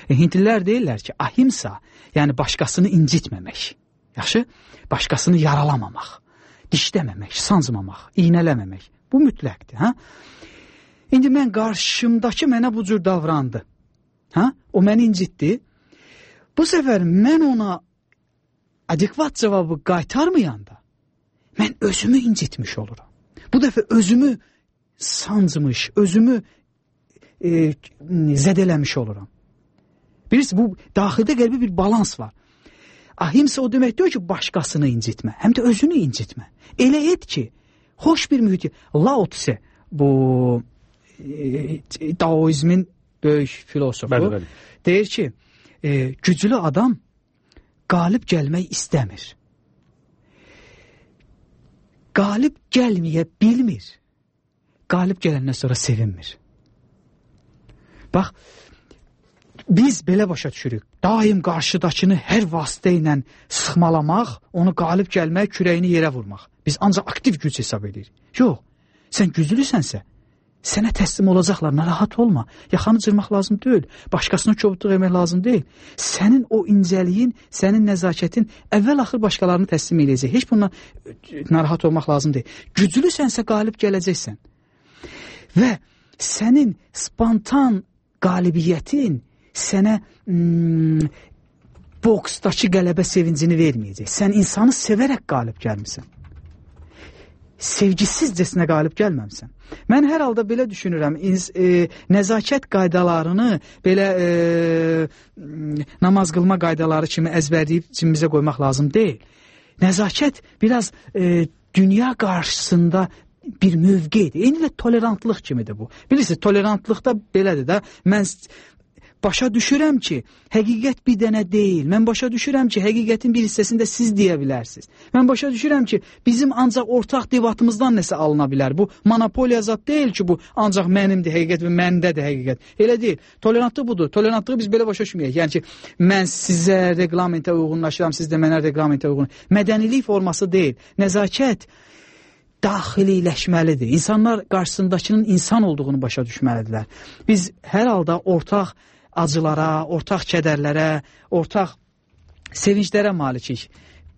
E, Hindlilər deyirlər ki, ahimsa, yəni başqasını incitməmək. Yaxşı? Başqasını yaralamamaq. Dişləməmək, sancmamaq, iynələməmək. Bu mütləqdir. Hə? İndi mən qarşımdakı mənə bu cür davrandı. Hə? O məni incitdi. Bu səfər mən ona adekvat cavabı qaytarmayanda mən özümü incitmiş oluram. Bu dəfə özümü sancmış, özümü e, zədələmiş oluram. Bilirsiniz, bu daxildə qəribə bir balans var. Ahimsa o demək deyir ki, başqasını incitmə, həm də özünü incitmə. Elə et ki, xoş bir mühiti. Lao Tse, bu e, Daoizmin böyük filosofu, bəli, bəli. Deyir ki, e, güclü adam qalib gəlmək istəmir. Qalib gəlməyə bilmir. Qalib gələndən sonra sevinmir. Bax, biz belə başa düşürük. Daim qarşıdakını hər vasitə ilə sıxmalamaq, onu qalib gəlmək, kürəyini yerə vurmaq. Biz ancaq aktiv güc hesab edirik. Yox, sən güclüsənsə, sənə təslim olacaqlar, narahat olma. Yaxanı cırmaq lazım deyil, başqasına çobudluq etmək lazım deyil. Sənin o incəliyin, sənin nəzakətin əvvəl-axır başqalarını təslim edəcək. Heç bundan narahat olmaq lazım deyil. Güclüsənsə qalib gələcəksən. Və sənin spontan qalibiyyətin sənə hmm, boksdakı qələbə sevincini verməyəcək. Sən insanı sevərək qalib gəlmirsən. Sevgisizcəsinə qalib gəlməmsən. Mən hər halda belə düşünürəm, ins, e, nəzakət qaydalarını belə e, namaz qılma qaydaları kimi əzbərləyib cibimizə qoymaq lazım deyil. Nəzakət biraz e, dünya qarşısında bir mövqedir. Eyni də tolerantlıq kimidir bu. Bilirsiniz, tolerantlıqda belədir də, mən başa düşürəm ki, həqiqət bir dənə deyil. Mən başa düşürəm ki, həqiqətin bir hissəsində siz deyə bilərsiniz. Mən başa düşürəm ki, bizim ancaq ortaq debatımızdan nəsə alına bilər. Bu monopoliya zat deyil ki, bu ancaq mənimdir həqiqət və məndədir həqiqət. Elə deyil. Tolerantlıq budur. Tolerantlığı biz belə başa düşməyək. Yəni ki, mən sizə reqlamentə uyğunlaşıram, siz də mənə reqlamentə uyğun. Mədənilik forması deyil. Nəzakət daxililəşməlidir. İnsanlar qarşısındakının insan olduğunu başa düşməlidirlər. Biz hər halda ortaq acılara, ortaq kədərlərə, ortaq sevinclərə malikik.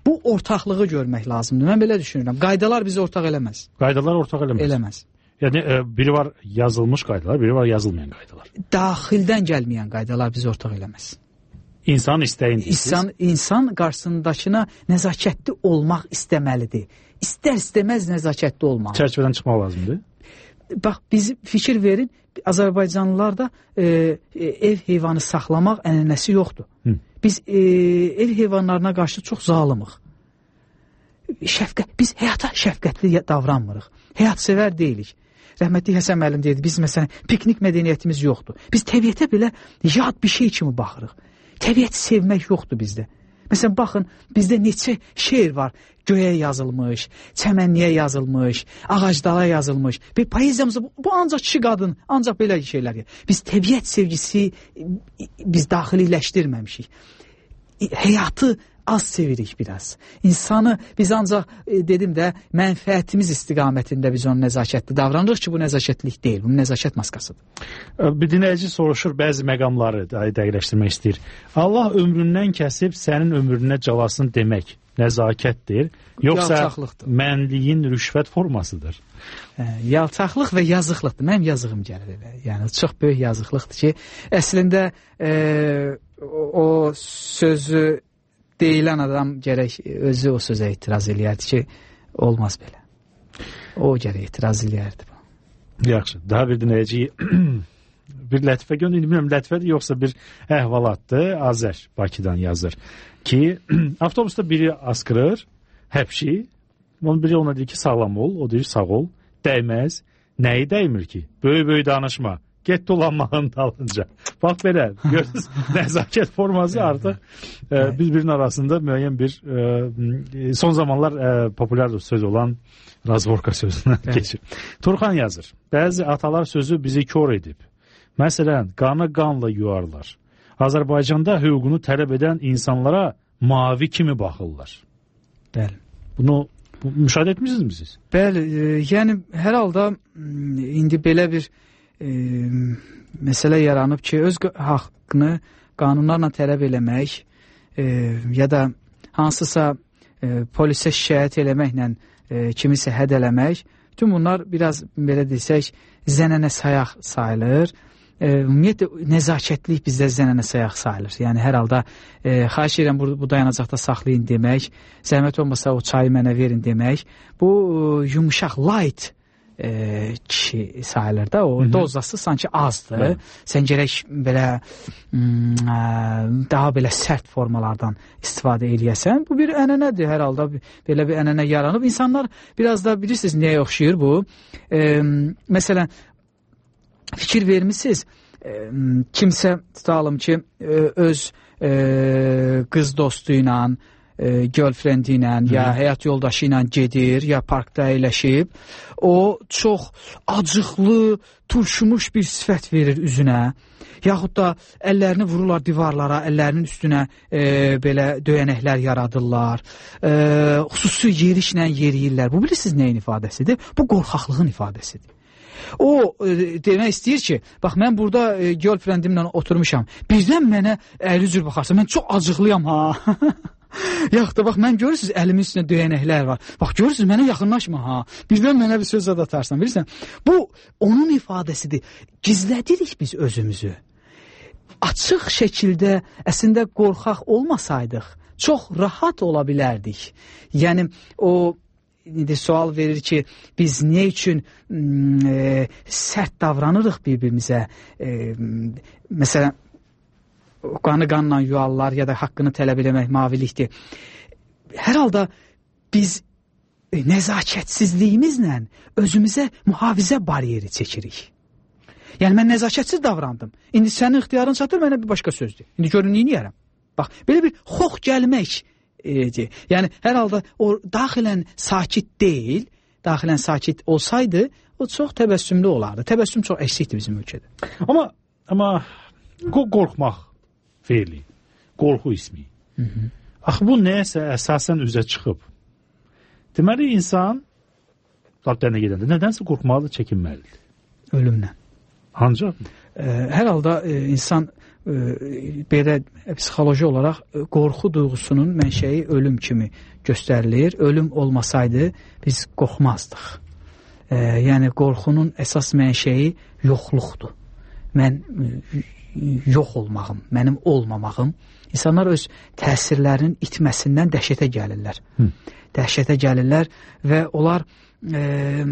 Bu ortaqlığı görmək lazımdır. Mən belə düşünürəm. Qaydalar bizi ortaq eləməz. Qaydalar ortaq eləməz. Eləməz. Yəni e, biri var yazılmış qaydalar, biri var yazılmayan qaydalar. Daxildən gəlməyən qaydalar bizi ortaq eləməz. İnsan istəyindir. İnsan, insan qarşısındakına nəzakətli olmaq istəməlidir. İstər-istəməz nəzakətli olmalı. Çərçivədən çıxmaq lazımdır. Bax, biz fikir verin, Azərbaycanlılarda e, e, ev heyvanı saxlamaq ənənəsi yoxdur. Hı. Biz e, ev heyvanlarına qarşı çox zalımıq. Şəfqət, biz həyata şəfqətli davranmırıq. Həyat sevər deyilik. Rəhmətli Həsən müəllim deyirdi, biz məsələn piknik mədəniyyətimiz yoxdur. Biz təbiətə belə yad bir şey kimi baxırıq. Təbiəti sevmək yoxdur bizdə. Məsələn, baxın, bizdə neçə şeir var. Göyə yazılmış, çəmənliyə yazılmış, ağacdala yazılmış. Bir poeziyamızda bu, bu ancaq kişi qadın, ancaq belə şeylər. Biz təbiət sevgisi biz daxililəşdirməmişik. Həyatı az sevirik biraz. İnsanı biz ancaq e, dedim də mənfəətimiz istiqamətində biz onun nəzakətli davranırıq ki, bu nəzakətlik deyil, bu nəzakət maskasıdır. Bir dinləyici soruşur, bəzi məqamları dəqiqləşdirmək istəyir. Allah ömründən kəsib sənin ömrünə calasın demək nəzakətdir, yoxsa mənliyin rüşvət formasıdır? Hə, yalçaqlıq və yazıqlıqdır. Mənim yazığım gəlir elə. Yəni çox böyük yazıqlıqdır ki, əslində e, o sözü deyilən adam gərək özü o sözə etiraz eləyərdi ki, olmaz belə. O gərək etiraz eləyərdi. Yaxşı, daha bir dinləyici bir lətifə göndərir, bilmirəm lətifədir yoxsa bir əhvalatdır. Azər Bakıdan yazır ki, avtobusda biri askırır, həpşi, onun biri ona deyir ki, sağlam ol, o deyir sağ ol, dəyməz, nəyi dəymir ki? Böyük-böyük danışma, get dolanmağın dalınca. Bax belə, görürsünüz, nəzakət forması artıq e, bir-birinin arasında müəyyən bir e, son zamanlar e, populyar söz olan razvorka sözündən keçir. Turxan yazır, bəzi atalar sözü bizi kör edib. Məsələn, qanı qanla yuarlar. Azərbaycanda hüququnu tələb edən insanlara mavi kimi baxırlar. Bəli. Bunu bu, müşahidə etmişsiniz siz? Bəli, e, yəni hər halda indi belə bir e, məsələ yaranıb ki, öz haqqını qanunlarla tələb eləmək e, ya da hansısa e, polisə şikayət eləməklə e, kimisə həd eləmək, bütün bunlar biraz belə desək zənənə sayaq sayılır. Ümumiyyətlə, nəzakətlik bizdə zənənə sayaq sayılır. Yəni, hər halda e, xahiş edirəm, bu, bu dayanacaqda saxlayın demək, zəhmət olmasa o çayı mənə verin demək, bu e, yumuşaq, light e, kişi sayılır da, o dozası sanki azdır. Hı. Sən gərək belə m, daha belə sərt formalardan istifadə eləyəsən. Bu bir ənənədir, hər halda belə bir ənənə yaranıb. İnsanlar biraz da bilirsiniz nəyə oxşayır bu? E, məsələn, fikir vermişsiniz, e, kimsə tutalım ki, e, öz e, qız dostu ilə, e, girlfriend ilə, ya həyat yoldaşı ilə gedir, ya parkda əyləşib, o çox acıqlı, turşumuş bir sifət verir üzünə, yaxud da əllərini vururlar divarlara, əllərinin üstünə e, belə döyənəklər yaradırlar, e, xüsusi yerişlə yeriyirlər. Bu bilirsiniz nəyin ifadəsidir? Bu qorxaqlığın ifadəsidir. O e, demək istəyir ki, bax mən burada e, girlfriendimlə oturmuşam. Birdən mənə əli cür baxarsa, mən çox acıqlıyam ha. Yaxud da bax mən görürsünüz əlimin üstünə döyənəklər var. Bax görürsünüz mənə yaxınlaşma ha. Birdən mənə bir söz atarsan, bilirsən? Bu onun ifadəsidir. Gizlədirik biz özümüzü. Açıq şəkildə əslində qorxaq olmasaydıq, çox rahat ola bilərdik. Yəni o indi sual verir ki, biz niyə üçün e, sərt davranırıq bir-birimizə? E, məsələn, qanı qanla yuarlar ya da haqqını tələb eləmək mavilikdir. Hər halda biz e, nəzakətsizliyimizlə özümüzə mühafizə bariyeri çəkirik. Yəni, mən nəzakətsiz davrandım. İndi sənin ixtiyarın çatır, mənə bir başqa sözdür. İndi görün, neyiniyərəm? Bax, belə bir xox gəlmək, E, yəni hər halda o daxilən sakit deyil, daxilən sakit olsaydı o çox təbəssümlü olardı. Təbəssüm çox əksikdir bizim ölkədə. Amma amma qorxmaq feili, qorxu ismi. Hı -hı. Axı bu nəyəsə əsasən üzə çıxıb. Deməli insan təbdənə gedəndə nədənsə qorxmalı, çəkinməlidir. Ölümlə. Ancaq e, hər halda e, insan e, belə psixoloji olaraq e, qorxu duyğusunun mənşəyi ölüm kimi göstərilir. Ölüm olmasaydı biz qorxmazdıq. E, yəni qorxunun əsas mənşəyi yoxluqdur. Mən e, yox olmağım, mənim olmamağım. İnsanlar öz təsirlərinin itməsindən dəhşətə gəlirlər. Hı. Dəhşətə gəlirlər və onlar e,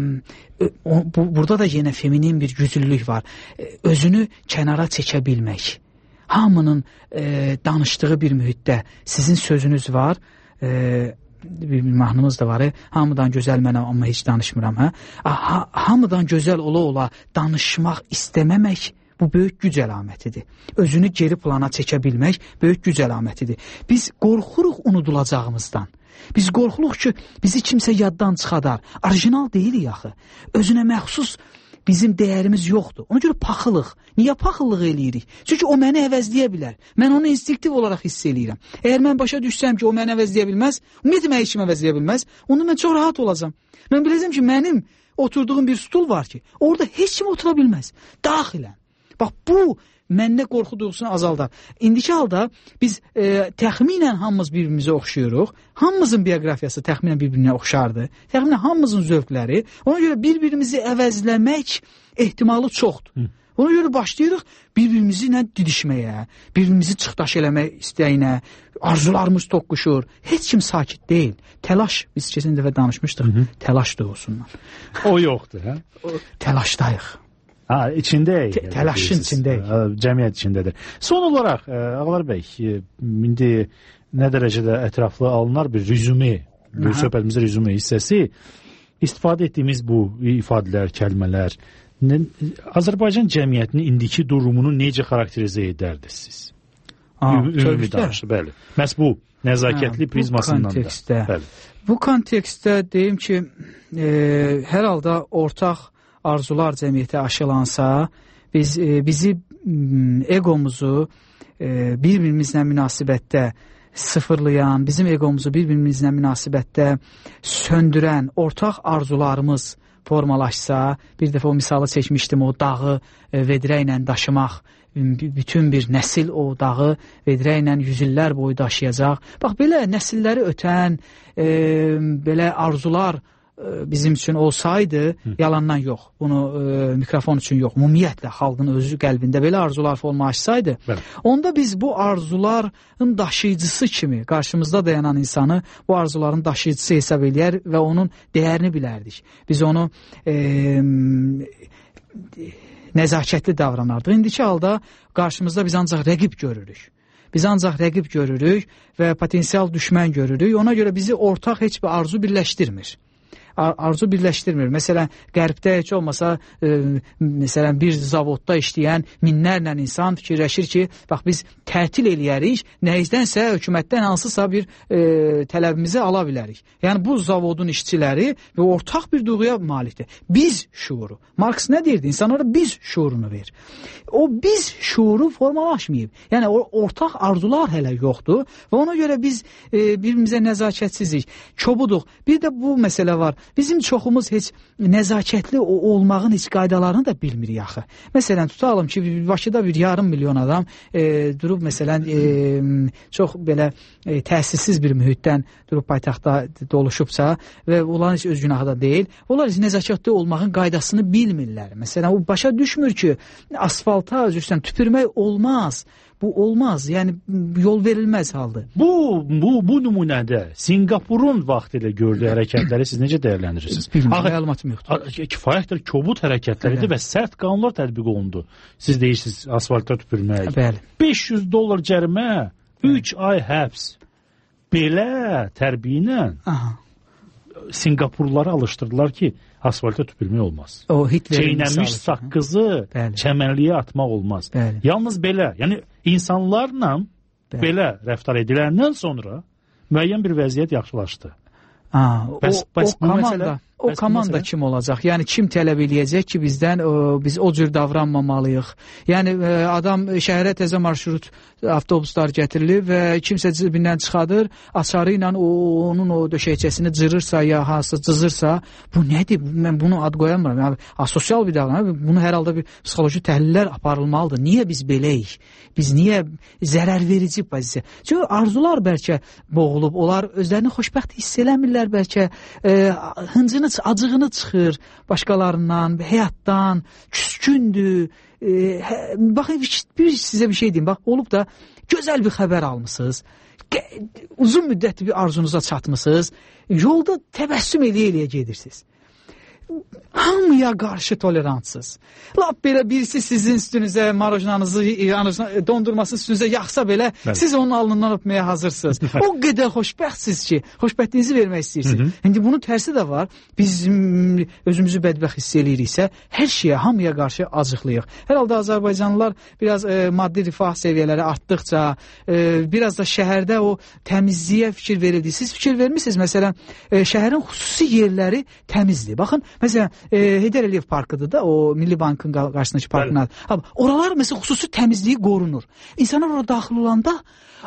o, bu, burada da yenə feminin bir güclülük var. E, özünü kənara çəkə bilmək. Hamının e, danışdığı bir mühitdə sizin sözünüz var, e, bir mahnımız da var, e, hamıdan gözəl mənəm amma heç danışmıram. Hə? Ha, hamıdan gözəl ola-ola danışmaq istəməmək bu böyük güc əlamətidir. Özünü geri plana çəkə bilmək böyük güc əlamətidir. Biz qorxuruq unudulacağımızdan. Biz qorxuluq ki, bizi kimsə yaddan çıxadar. Orijinal deyilik axı. Özünə məxsus bizim dəyərimiz yoxdur. Ona görə paxılıq. Niyə paxıllıq eləyirik? Çünki o məni əvəzləyə bilər. Mən onu instinktiv olaraq hiss eləyirəm. Əgər mən başa düşsəm ki, o məni əvəzləyə bilməz, ümumiyyətlə məni heç kim əvəzləyə bilməz, onda mən çox rahat olacam. Mən biləcəm ki, mənim oturduğum bir stul var ki, orada heç kim otura bilməz. Daxilən. Bax, bu məndə qorxu duyğusunu azaldar. İndiki halda biz e, təxminən hamımız bir-birimizə oxşuyuruq. Hamımızın bioqrafiyası təxminən bir-birinə oxşardır. Təxminən hamımızın zövqləri. Ona görə bir-birimizi əvəzləmək ehtimalı çoxdur. Hı. Ona görə başlayırıq bir-birimizi ilə didişməyə, bir-birimizi çıxdaş eləmək istəyinə, arzularımız toqquşur. Heç kim sakit deyil. Təlaş, biz keçən dəfə danışmışdıq, hı -hı. Təlaş duyğusundan. O yoxdur, hə? O, təlaşdayıq. Ha, içindəyik. Te təlaşın içindəyik. Cəmiyyət içindədir. Son olaraq, Ağlar bəy, indi nə dərəcədə ətraflı alınar bir rüzume, bir söhbətimizdə rüzume hissəsi, istifadə etdiyimiz bu ifadələr, kəlmələr, Azərbaycan cəmiyyətinin indiki durumunu necə xarakterizə edərdiniz siz? Ümumi danışdı, bəli. Məhz bu nəzakətli ha, prizmasından kontekstdə, da. Bəli. Bu kontekstdə deyim ki, e, hər halda ortaq arzular cəmiyyətə aşılansa, biz e, bizi egomuzu e, bir-birimizlə münasibətdə sıfırlayan, bizim egomuzu bir-birimizlə münasibətdə söndürən ortaq arzularımız formalaşsa, bir dəfə o misalı çəkmişdim, o dağı e, vedrə ilə daşımaq, bütün bir nəsil o dağı vedrə ilə yüzillər boyu daşıyacaq. Bax, belə nəsilləri ötən, e, belə arzular bizim üçün olsaydı, Hı. yalandan yox, bunu e, mikrofon üçün yox, ümumiyyətlə xalqın özü qəlbində belə arzular formalaşsaydı, Bəli. onda biz bu arzuların daşıyıcısı kimi qarşımızda dayanan insanı bu arzuların daşıyıcısı hesab eləyər və onun dəyərini bilərdik. Biz onu e, nəzakətli davranardıq. İndiki halda qarşımızda biz ancaq rəqib görürük. Biz ancaq rəqib görürük və potensial düşmən görürük. Ona görə bizi ortaq heç bir arzu birləşdirmir. Arzu birləşdirmir. Məsələn, qərbdə heç olmasa e, məsələn, bir zavodda işləyən minlərlə insan fikirləşir ki, bax, biz tətil eləyərik, nəyizdənsə hökumətdən hansısa bir e, tələbimizi ala bilərik. Yəni, bu zavodun işçiləri və ortaq bir duyğuya malikdir. Biz şuuru. Marks nə deyirdi? İnsanlara biz şuurunu ver. O biz şuuru formalaşmayıb. Yəni, ortaq arzular hələ yoxdur və ona görə biz e, bir-birimizə nəzakətsizlik, çobuduq. Bir də bu məsələ var. Bizim çoxumuz heç nəzakətli olmağın heç qaydalarını da bilmirik axı. Məsələn, tutalım ki, Bakıda bir yarım milyon adam e, durub, məsələn, e, çox belə e, təsirsiz bir mühitdən durub paytaxtda doluşubsa və onların heç öz günahı da deyil, onlar heç nəzakətli olmağın qaydasını bilmirlər. Məsələn, o başa düşmür ki, asfalta üzrsən tüpürmək olmaz. Bu olmaz. Yəni yol verilməz haldır. Bu bu bu nümunədə Singapurun vaxtilə gördüyü hərəkətləri siz necə dəyərləndirirsiniz? Bilmirəm, məlumatım yoxdur. Kifayət qədər kobud hərəkətləridir və sərt qanunlar tətbiq olundu. Siz deyirsiniz asfaltda tüpürmək. Bəli. beş yüz dollar cərimə, üç ay həbs. Belə tərbiyə ilə Singapurluları alışdırdılar ki, asfalta tüpürmək olmaz. O çeynəmiş saqqızı çəmənliyə atmaq olmaz. Bəli. Yalnız belə, yəni insanlarla Bəli. belə rəftar ediləndən sonra müəyyən bir vəziyyət yaxşılaşdı. Ha, bəs, o, bəs, o komanda, o komanda məsələ? Kim olacaq? Yəni kim tələb eləyəcək ki, bizdən o, biz o cür davranmamalıyıq? Yəni adam şəhərə təzə marşrut avtobuslar gətirilib və kimsə cibindən çıxadır, açarı ilə onun o döşəkçəsini cırırsa ya hansısa cızırsa, bu nədir? Mən bunu ad qoyamıram. Yəni asosial bir davranış. Bunu hər halda bir psixoloji təhlillər aparılmalıdır. Niyə biz beləyik? Biz niyə zərər verici pozisiya? Çünki arzular bəlkə boğulub, onlar özlərini xoşbəxt hiss eləmirlər, bəlkə e, hıncını, acığını çıxır başqalarından, həyatdan, küskündür. E, hə, baxın, bir sizə bir şey deyim, bax, olub da gözəl bir xəbər almışsınız, uzun müddətli bir arzunuza çatmışsınız, yolda təbəssüm eləyə-eləyə gedirsiniz. Hamıya qarşı tolerantsız. Lap belə birisi sizin üstünüzə marojnanızı, dondurmasını üstünüzə yaxsa belə, Bəli. siz onun alnından öpməyə hazırsınız. O qədər xoşbəxtsiz ki, xoşbəxtinizi vermək istəyirsiniz. İndi bunun tərsi də var. Biz özümüzü bədbəxt hiss eləyiriksə, hər şeyə, hamıya qarşı acıqlıyıq. Hər halda Azərbaycanlılar biraz e, maddi rifah səviyyələri artdıqca, e, biraz da şəhərdə o təmizliyə fikir verildi. Siz fikir vermişsiniz, məsələn, e, şəhərin xüsusi yerləri təmizdir. Baxın, Məsələn, e, Heydər Əliyev parkıdır da, o Milli Bankın qarşısındakı parkın adı. Oralar məsələn xüsusi təmizliyi qorunur. İnsanlar orada daxil olanda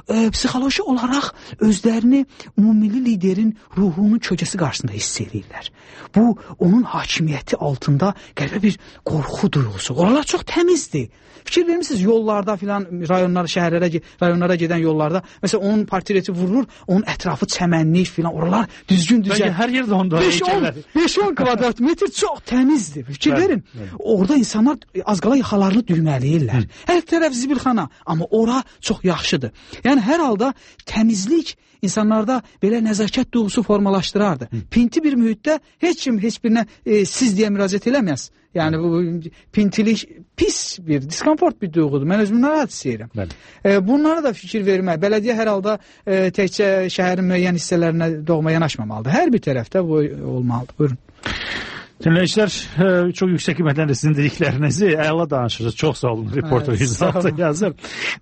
e, psixoloji olaraq özlərini ümumilli liderin ruhunun kölgəsi qarşısında hiss edirlər. Bu, onun hakimiyyəti altında qəribə bir qorxu duyğusu. Oralar çox təmizdir. Fikir vermişsiniz, yollarda filan, rayonlara, şəhərlərə, rayonlara gedən yollarda, məsələn, onun portreti vurulur, onun ətrafı çəmənlik filan, oralar düzgün düzgün. Bəlkə hər yerdə onda beş on kvadrat metr çox təmizdir. Fikir verin, orada insanlar az qala yaxalarını düyməliyirlər. Hər tərəf zibilxana, amma ora çox yaxşıdır. Yəni, hər halda təmizlik insanlarda belə nəzakət duyğusu formalaşdırardı. Hı. Pinti bir mühitdə heç kim heç birinə e, siz deyə müraciət eləməz. Yəni bu pintilik pis bir, diskomfort bir duyğudur. Mən özümü narahat istəyirəm. E, bunlara da fikir vermək. Bələdiyyə hər halda e, təkcə şəhərin müəyyən hissələrinə doğma yanaşmamalıdır. Hər bir tərəfdə bu olmalıdır. Buyurun. Dinləyicilər, çox yüksək qiymətləndə sizin dediklərinizi əla danışırsınız. Çox sağ olun, reporter yüzde yazır.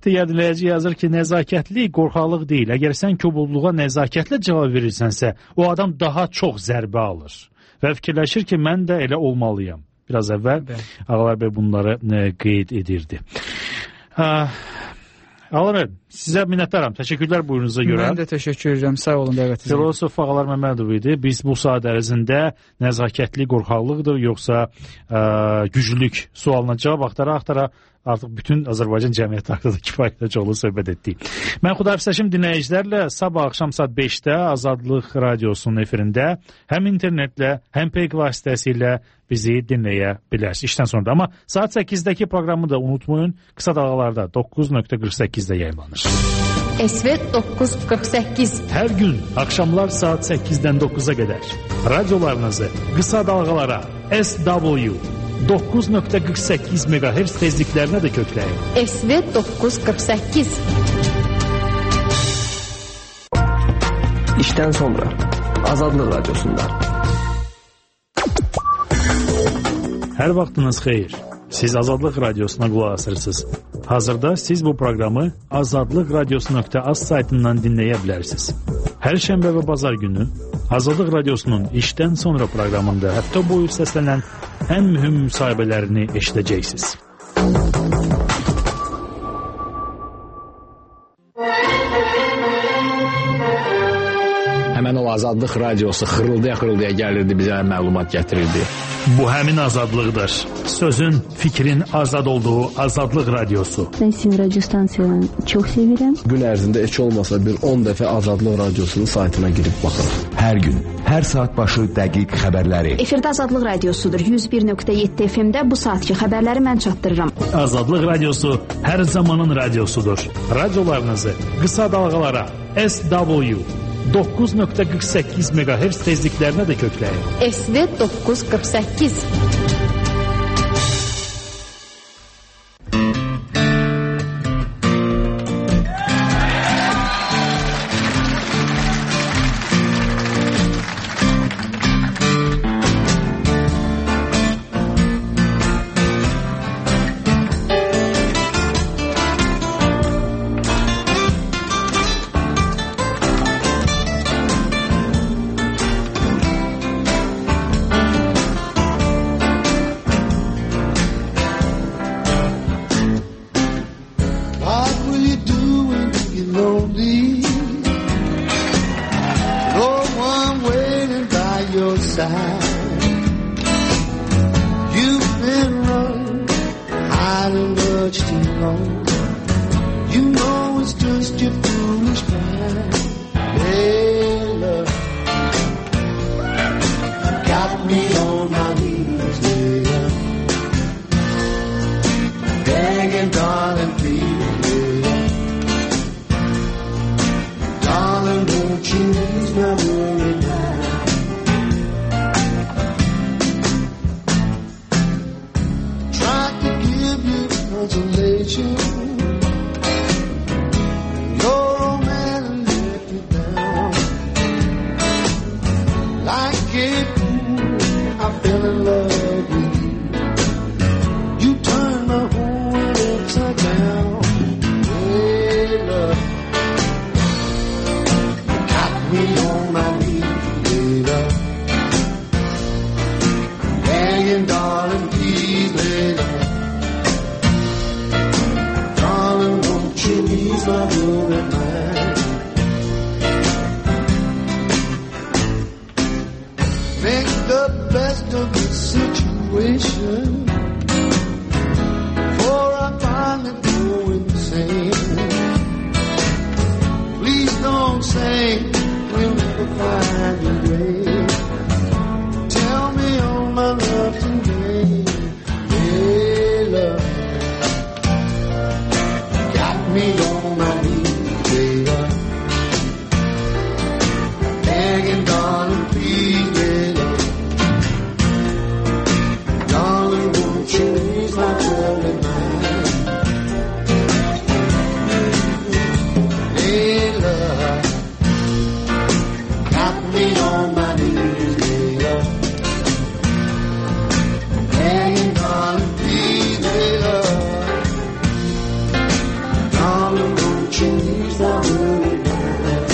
Digər dinləyici yazır ki, nəzakətli qorxaqlıq deyil. Əgər sən kobudluğa nəzakətlə cavab verirsənsə, o adam daha çox zərbə alır. Və fikirləşir ki, mən də elə olmalıyam. Biraz əvvəl Ağalar bəy bunları qeyd edirdi. Ağalar bəy, sizə minnətdaram. Təşəkkürlər buyurunuza görə. Mən də təşəkkür edirəm. Sağ olun dəvətinizə. Filosof Ağalar Məmmədov idi. Biz bu saat ərzində nəzakətli qorxaqlıqdır, yoxsa ə, güclülük sualına cavab axtara-axtara artıq bütün Azərbaycan cəmiyyəti haqqında kifayətlə çoxlu söhbət etdik. Mən Xudafizləşim dinləyicilərlə sabah axşam saat beşdə Azadlıq Radiosunun efirində həm internetlə, həm peyk vasitəsilə bizi dinləyə bilərsiniz. İşdən sonra da. Amma saat səkkizdə proqramı da unutmayın. Qısa dalğalarda doqquz nöqtə qırx səkkizdə yayımlanır. Esvet doqquz qırx səkkiz. Hər gün axşamlar saat səkkizdən dokquza qədər radiolarınızı qısa dalğalara S W doqquz nöqtə qırx səkkiz meqahertz tezliklərinə də kökləyin. Esvet doqquz qırx səkkiz. İşdən sonra Azadlıq Radiosunda. Hər vaxtınız xeyir. Siz Azadlıq Radiosuna qulaq asırsınız. Hazırda siz bu proqramı azadlıq radiosu nöqtə az saytından dinləyə bilərsiniz. Hər şənbə və bazar günü Azadlıq Radiosunun işdən sonra proqramında həftə boyu səslənən ən mühüm müsahibələrini eşidəcəksiniz. Həmən o Azadlıq Radiosu xırıldaya-xırıldaya gəlirdi, bizə məlumat gətirirdi. Bu həmin azadlıqdır. Sözün, fikrin azad olduğu Azadlıq Radiosu. Mən sizin radio stansiyanı çox sevirəm. Gün ərzində heç olmasa bir on dəfə Azadlıq Radiosunun saytına girib baxırıq. Hər gün, hər saat başı dəqiq xəbərləri. Efirdə Azadlıq Radiosudur. yüz bir nöqtə yeddi F M-də bu saatki xəbərləri mən çatdırıram. Azadlıq Radiosu hər zamanın radiosudur. Radiolarınızı qısa dalğalara S W doqquz nöqtə qırx səkkiz meqahertz tezliklərinə də kökləyin. Esvet doqquz qırx səkkiz. my worried mind. Make the best of the situation, before I finally go insane. Please don't say we'll never find a way. Tell me all my love today. Hey, love, got me on my knees, baby. Begging, darling, please, baby. Darling, won't you ease my troubled mind? Hey, love, got me on my knees, baby. Begging, darling, please, baby. Darling, won't you ease my worried mind?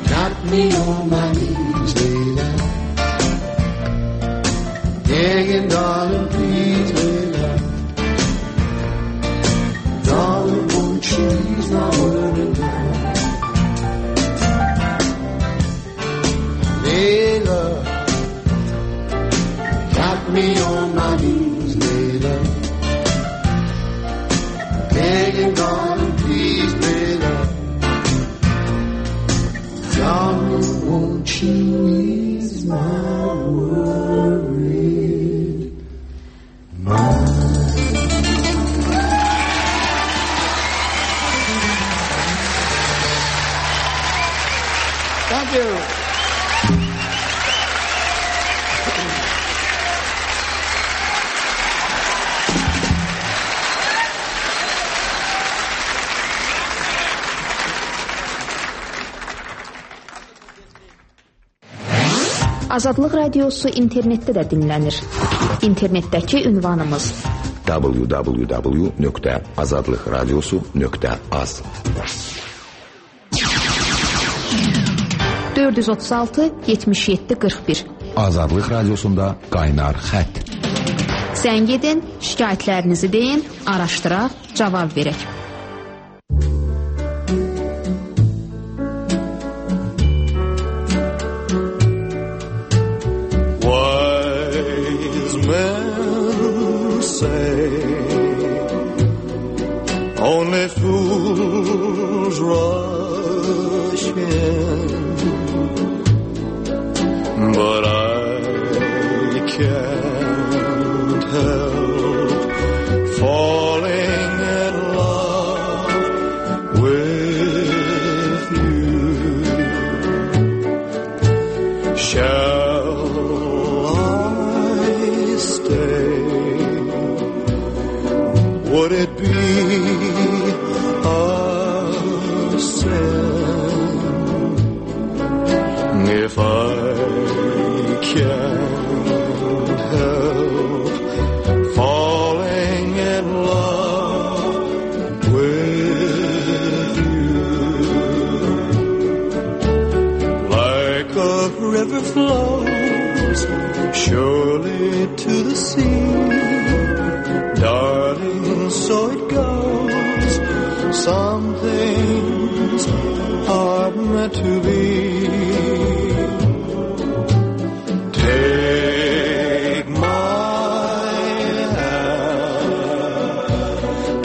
Got me on my knees, baby. Begging, darling, please, baby. Darling, won't you ease my worried mind? Hey, love, got me on my knees, baby. Begging, darling, please, baby. Darling, won't you ease my worried mind? Thank you. Azadlıq Radiosu internetdə də dinlənir. İnternetdəki ünvanımız w w w nöqtə azadlıq radiosu nöqtə az. dörd yüz otuz altı yetmiş yeddi qırx bir. Azadlıq radiosunda qaynar xətt. Zəng edin, şikayətlərinizi deyin, araşdıraq, cavab verək. Only fools rush in, but I can't help falling in love with you. Shall I stay? Would it be if I can't help falling in love with you? Like a river flows surely to the sea, darling, so it goes. Some things are meant to be. Take my hand,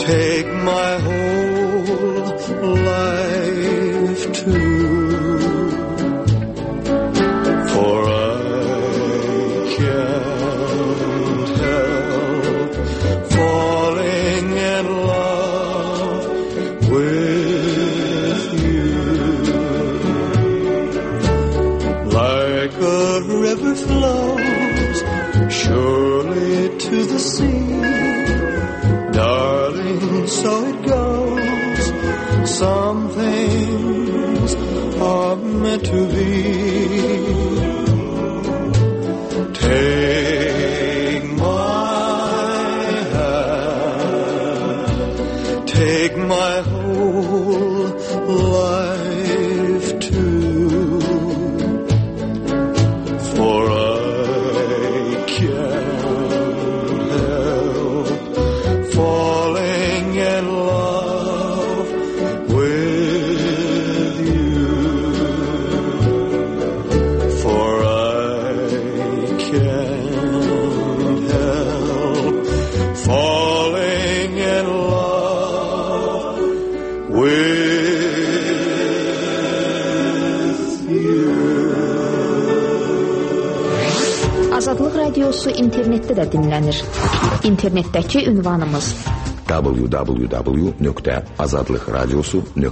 take my whole life too, for I can't help falling in love with Some things are meant to be. Take my hand, take my whole life too, for I can't help falling in love with you, for I can't help falling in love with you. Azadlıq Radiosu internetdə də dinlənir. İnternetdəki ünvanımız w w w nöqtə azadlıqradiosu nöqtə